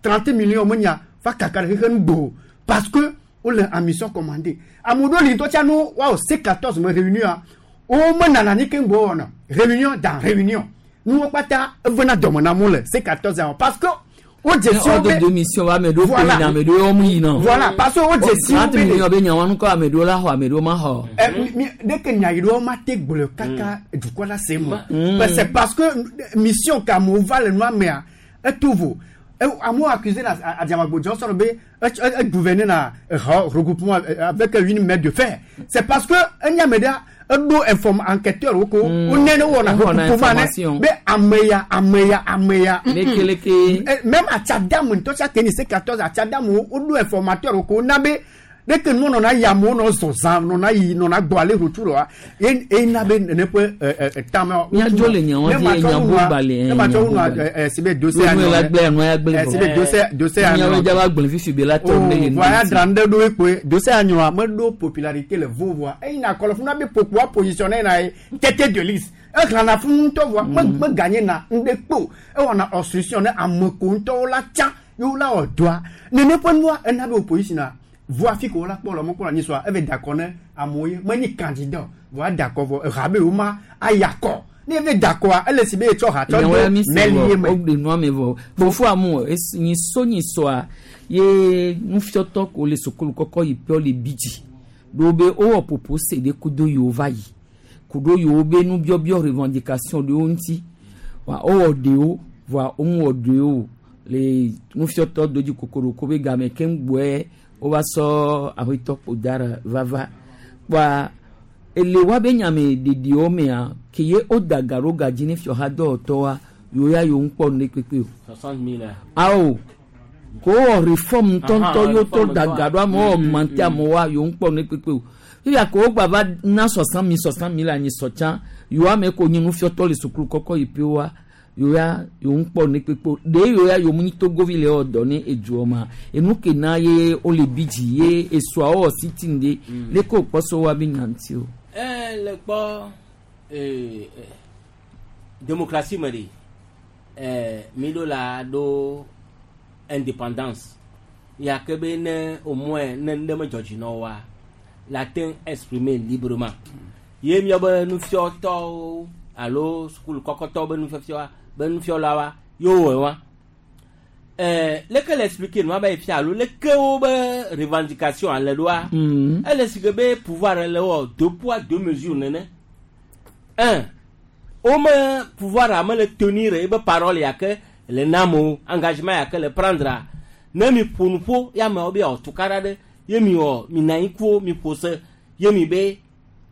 trente millions me nya va kaka ɖe xexe nu parce que wole en mission commandée ame ɖewo li ŋutɔ tsa no woawɔ C quatorze me réunion wo me nana anyi keŋ gbɔ wɔna réunion dans réunion nuwo kpata evena dɔme na amewo le C quatorze parce que wo dzesi wo be de mission wa ame ɖewo ƒo yina ame ɖewo wɔm yina voilà parce que wo dzesi wo be trente millions be nyawa ŋkɔ ame ɖewo la xɔ ame ɖewo ma xɔ. ɛ mi ɖeke nya yi ɖewo ma te gblɔ kaka dukɔ la se mo mais c'est parce que mission ka amewo va le nua mea eto vo amewo accusé na Adiamagbo Johnson be e gouverner na regroupement avec une main de fer c'est parce que enya me ɖea eɖo inform enquêteur wo ko wo nene wɔna regroupement ne be ame ya ame ya ame ya lekeleke même Atsiadamu ŋutɔ tsa ke ni C quatorze Atsiadamu woɖo informateur wo ko na be ɖeke nu nɔna yi amewo nɔ zɔzã nɔna yi nɔna gbɔ ale retour wa ye ena be nene ƒe tame. Miadzo le nyawo dzi nyawo gbalẽ. Ne ma tsɔ wunua ɛ si be dossier anɔ la gblẽ anɔ ya gblẽ vɔ. Si be dossier dossier anɔ. Miawo dza va gblẽ fifi be la tɔ ne le nu. Voa ya dra ŋɖe ɖo ekpoe dossier anɔa meɖo popularité le vo voa eyi na kɔlɔ fún na be popoa positionné na ye tête de liste exlãna fún ŋutɔ voa me me gagné na ŋɖe kpo ewɔna obstruction ne ame ko ŋutɔwo la tsã yewo la wɔ dɔa nene ƒe nua ena be opposition na voa fi ko la kpɔ le mɔkpɔ la nyisɔa eve dakɔ ne amewo ye menye candidat voa dakɔ vɔ eha be wo ma ayakɔ ne eve dakɔa ele si be etsɔ ha tsɔ do mɛli ye me. O de nua me vɔ fofo amu nyiso nyisɔa ye nufiɔtɔ ko le sukulu kɔkɔ yi ƒe le bi dzi ɖo be wowɔ popo se ɖe kudo yewo va yi kudo yewo be nubiɔbiɔ revendication ɖewo ŋuti wa wowɔ ɖewo voa womu wɔ ɖewo le nufiɔtɔ dodzi kokoroko be game keŋ gbɔe wova sɔ aƒetɔ ƒodara vava kpoa ele wa be nyame ɖeɖiwo mea ke ye woda ga ɖo ga dzi ne fiɔha dɔwɔtɔwoa yewo ya yewo ŋkpɔ nu ɖe kpekpe o. soixante mille. Awo ko wowɔ reform ŋutɔŋutɔ yewo tɔ da ga ɖo amewo augmenté amewoa yewo ŋkpɔ nu ɖe kpekpe o. Fifia ko wogba va na soixante mille soixante mille anyi sɔ tsã yewo ame ko nye nufiɔtɔ le sukulu kɔkɔ yi ƒe yewo ya yewo ŋkpɔ nu kpekpe ɖe yewo ya yewo mu nyi togovi le wɔ dɔ ne edzoa ma enu ke na ye wole bi dzi ye esuawo wɔ sitting de leke wòkpɔ so wa be nya ŋuti o. Ɛ le kpɔ ee démocratie me ɖe ɛɛ mi ɖo la ɖo indépendance ya ke be ne au moins ne ŋɖe me dzɔ dzi na woa la te exprimer librement ye miawo be nufiɔtɔwo alo sukulu kɔkɔtɔwo be nufiɔfiɔa be nufiɔlawoa yewo wɔe wa ɛɛ leke le expliquer nua be fia alo leke wo be revendication ale ɖoa ele si ke be pouvoir le wɔ deux poids deux mesures nene un wo me pouvoir ame le tenir ebe parole ya ke le na amewo engagement ya ke le prendre ne mi ƒo nu ƒo ya amewo be yeawɔ tukaɖa ɖe ye mi wɔ mi na anyi ku mi ƒo se ye mi be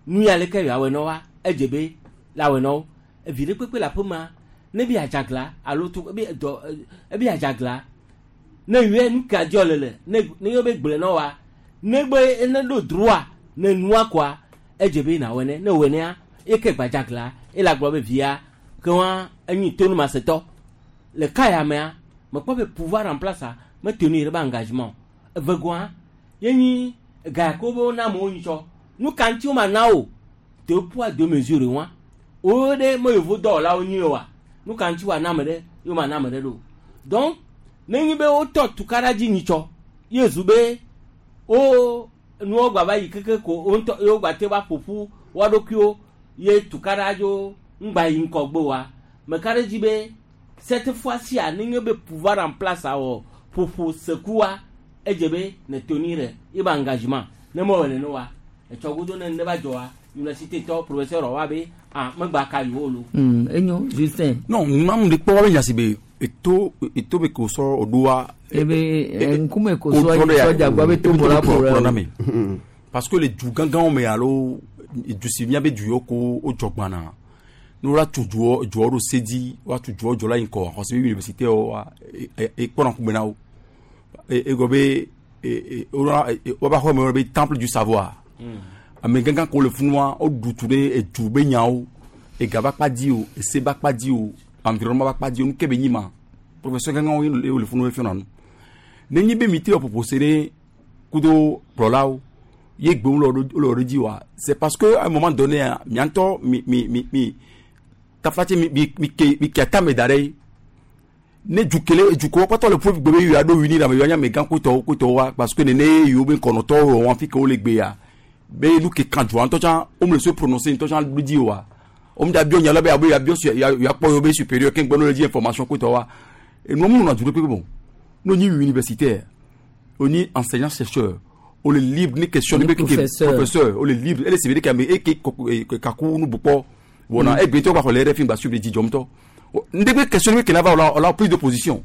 nu ya leke yeawɔe na woa edze be la wɔe na wo evi ɖe kpekpe le aƒe ma ne bi adzagla alo tu ebi dɔ ebi adzagla ne yɔe nu ka dzɔ le le ne ne yɔ be gblẽ na woa ne gbe ne ɖo droit ne nua koa edze be na wɔe ne ne wɔe nea eke gbadzagla ele agblɔ be via ke wa enyi tonumasetɔ le ka ya mea mekpɔ be pouvoir en place a me tenir be engagement evegoa ye nyi ga ko be wona amewo nyitsɔ nu ka ŋuti wo ma na wo deux poids deux mesures wa wo ɖe me yevu dɔwɔlawo nyi wa nu ka ŋuti wa na ame ɖe ye ma na ame ɖe ɖo donc ne nyi be wotɔ tukaɖa dzi nyitsɔ ye zu be wo nuwo gba va yi keke ko wo ŋutɔ ye wo gba te va ƒoƒu woa ɖokuiwo ye tukaɖa dzo ŋgba yi ŋgɔgbe wa meka ɖe dzi be cette fois-ci a ne nye be pouvoir en place awɔ ƒoƒo sekua edze be ne tenir ye be engagement ne mewɔ nene wa etsɔ godo ne ne va dzɔ wa université tɔ professeur wa be ah megba ka yiwo lo. enyo Justin. non mamu de kpɔ wa be nya si be eto eto be ko sɔ o do wa. ebe nkume ko sɔ yi sɔdza gba be to bɔra bɔra na me parce que le du gãgãwo me alo du si mía be du yiwo ko o dzɔ gbana ne wola tu dzuɔ dzuɔ ɖo se dzi woa tu dzuɔ dzɔ la yi ŋkɔ xɔse be université wa ekpɔna ŋkume na wo egɔ be woba xɔ me be temple du savoir. Ame gãgã ko le funua o dutu ɖe edu be nyawo ega ba kpa di o ese ba kpa di o environnement ba kpa di o nu ke be nyi ma professeur gãgãwo ye le funu fiɔna nu ne nyi be mi te wɔ propose ɖe kudo kplɔlawo ye gbewo le wɔ ɖe dzi wa c'est parce que à un moment donné mia ŋutɔ mi mi mi mi taflatse mi mi mi ke mi ke atame da ɖe ne dukele dukɔ kpɔtɔ le ƒe gbe be yia ɖo wini la me yɔ nya amegã kotɔwo kotɔwo wa parce que nene yiwo be kɔnɔtɔwo wɔ wɔn fi ke wo le gbe ya be nu ke kan dua ŋutɔ tsã wo me le se prononcer ŋutɔ tsã ɖo dzi wa wo me da biɔ nya la be abe ya biɔ su ya ya kpɔ yewo be supérieur ke ŋgbɛ no le dzi information kotɔ wa enua mu nɔna du ɖe kpekpe bon n'o nyi universitaire o nyi enseignant chercheur o le libre ni question ni be ke professeur o le libre ele sebe de ke ame eke kaku nu bukpɔ wɔna egbe tɔ gba xɔ le R F I gba suivre dzi dzɔm tɔ ndegbe question ni kena va o la prise de position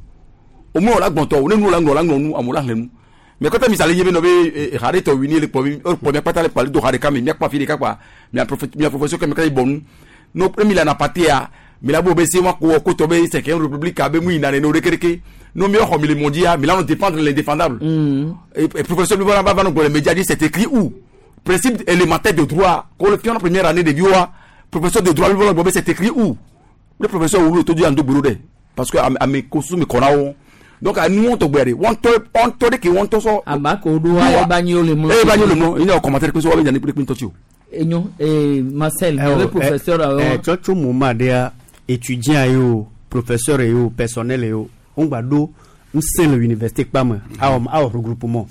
au moins o la gbɔntɔ o ne nu la ŋlɔ la ŋlɔ nu amewo la xlẽ nu mais kɔtɛ misali ye be nɔ be ha ɖe tɔ wini le kpɔ mi kpɔ mia kpata le kpali do ha ɖeka me mia kpɔ afi ɖeka kpa mia mia professeur kɛ mi ka yi bɔ nu no emi le anapatea mi la bo be se wa ko ko tɔ be cinquième république abe mu yina nene o ɖeke ɖeke no mi xɔ mi le mondia mi la nɔ défendre l'indéfendable et, et professeur mi va va nɔ gbɔ le média dit c'est écrit où principe élémentaire de droit ko le fiɔn première année de vie wa professeur de droit mi va nɔ gbɔ be c'est écrit où le professeur wulu to di ando gbero dɛ parce que ame kosu mi kɔna wo donc anu wɔn tɔ gbɛ de wɔn tɔ wɔn tɔ de ke wɔn tɔ sɔ. aba ko do wa eba nyi o le mlɔ. eba nyi o le mlɔ ina commentaire pe so wa bɛ ɲa ni pe tɔ ti o. Enyo ee Marcel le professeur awɔ. Ɛ tsɔtso moment ɖea étudiant ye o professeur ye o personnel ye o wo gba ɖo ŋusẽ le université kpa me awɔ awɔ regroupement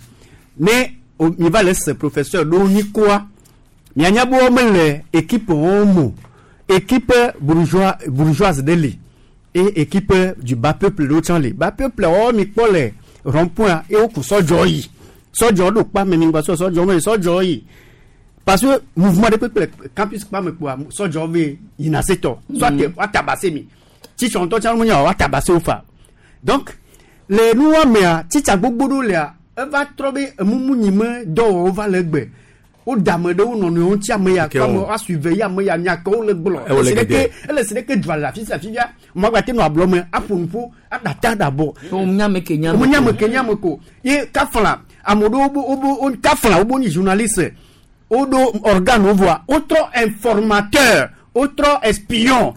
ne mi va le se professeur ɖewo nyi koa mianya be wo mele équipe wɔn mo équipe bourgeois bourgeoise ɖe li et équipe du bas peuple ɖewo tsã li bas peuple wɔwɔ mi kpɔ le rond-point ye wo ku sɔdzɔ yi sɔdzɔ ɖo kpa me mi ŋgba sɔ sɔdzɔ me sɔdzɔ yi parce que mouvement ɖe kpekpe le campus kpa me kpoa sɔdzɔ ve yina se tɔ soit wa tabase mi tsitsɔ ŋutɔ tsã ŋu wa tabase wo fa donc le nuwa mea tsitsa gbogbo ɖewo lea eva trɔ be emumu me dɔwɔwɔ va le egbe woda ame ɖewo nɔnɔewo ŋuti ame ya kɔ ame woa suive ye ame ya nya ke wole gblɔ ele si ɖeke ele si ɖeke dua le afi sia afi fia mɔ gba te nɔ ablɔ me aƒo nuƒo aɖata aɖabɔ. nyame ke nyame ko nyame ke nyame ko ye kafla ame ɖewo bo wo kafla wo bo nyi journaliste woɖo organe wo voa wotrɔ informateur wotrɔ espion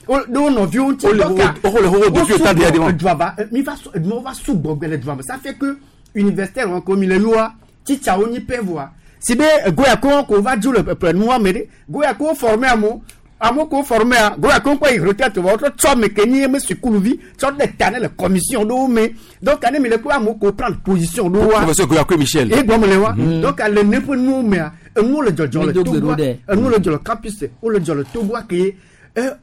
ɖo nɔviwo ŋuti dɔka wo dua va mi va mi va sugbɔ gbɛ le dua me ça fait que universitaire wɔn ko mi le yoa tsitsawo nyi pɛ voa si be goya ko ko va dzo le ƒe nua me ɖe goya ko former amewo amewo ko former a goya ko kɔ yi retraite vɔ wotrɔ tsɔ ame ke nyi eme sukuluvi tsɔ ɖe ta ne le commission ɖewo me donc ane mi le ko amewo ko prendre position ɖewo wa professeur Goya ko Michel e gbɔm le wa donc le ne ƒe nuwo mea enuwo le dzɔdzɔ le Togoa enuwo le dzɔ le campus wo le dzɔ le Togoa ke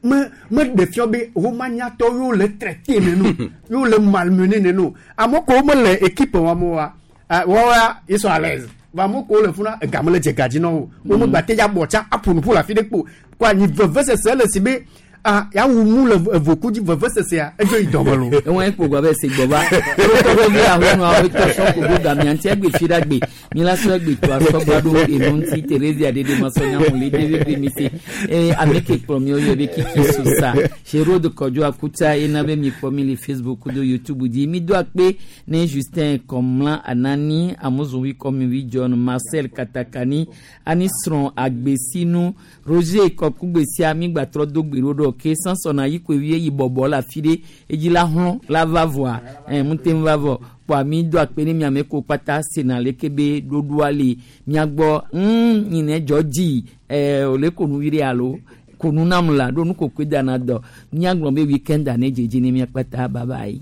me me ɖe fiɔ be womanyatɔ yewo le traité nenu yewo le malmené nenu amewo ko me le équipe wa me wa wɔwa ils sont à l'aise va mo ko le funa egame le dze gadzi na wo wo me gba te ya bɔ tsa aƒo nuƒo le afi ɖe kpo ko anyi vevesese le si be ah ya wu mu le evoku dzi vevesesea edzo yi dɔme lo. ewɔn ekpo gba bɛ se gbɔ ba tɔ bɛ bi ahɔnu awo tɔ sɔ kogo gamia ŋuti egbe fi ɖe gbe mi la sɔ egbe to asɔgba ɖo enu ŋuti Terezia ɖeɖe ma sɔ nyamu le ɖevi bi mi se eye ame ke kplɔ mi yɔ be kiki sosa Hérode Kɔdzo Akuta ena be mi kpɔ mi le Facebook do YouTube dzi mi do akpe ne Justin Kɔmla Anani Amozowi Kɔmiwi John Marcel Katakani ani srɔ̃ agbesinu Roger Kɔkugbesia mi gbatrɔ do gbe ɖo ɖɔ ke sansɔna yi koe yi bɔbɔ le afi ɖe edzi la hlɔ̃ la va vɔa ɛ ŋute va vɔ kpɔa mi do akpe ne miame ko kpata sena leke be ɖoɖoa le miagbɔ ŋ nyinɛ dzɔ dzi ɛ wòle ko nu vi ɖe alo ko nu nam la ɖo nu kokoe dana dɔ miagblɔ be weekend ane dzedze ne mia kpata bye bye.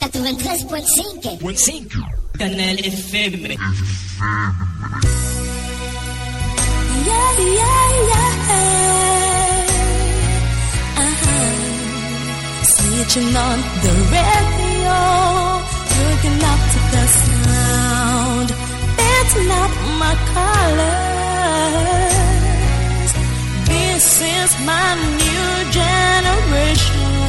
quatre-vingt-treize point cinq. Canal F M. Yeah, yeah, yeah. Uh-huh. Switching on the radio, looking up to the sound. That's not my colors. This is my new generation.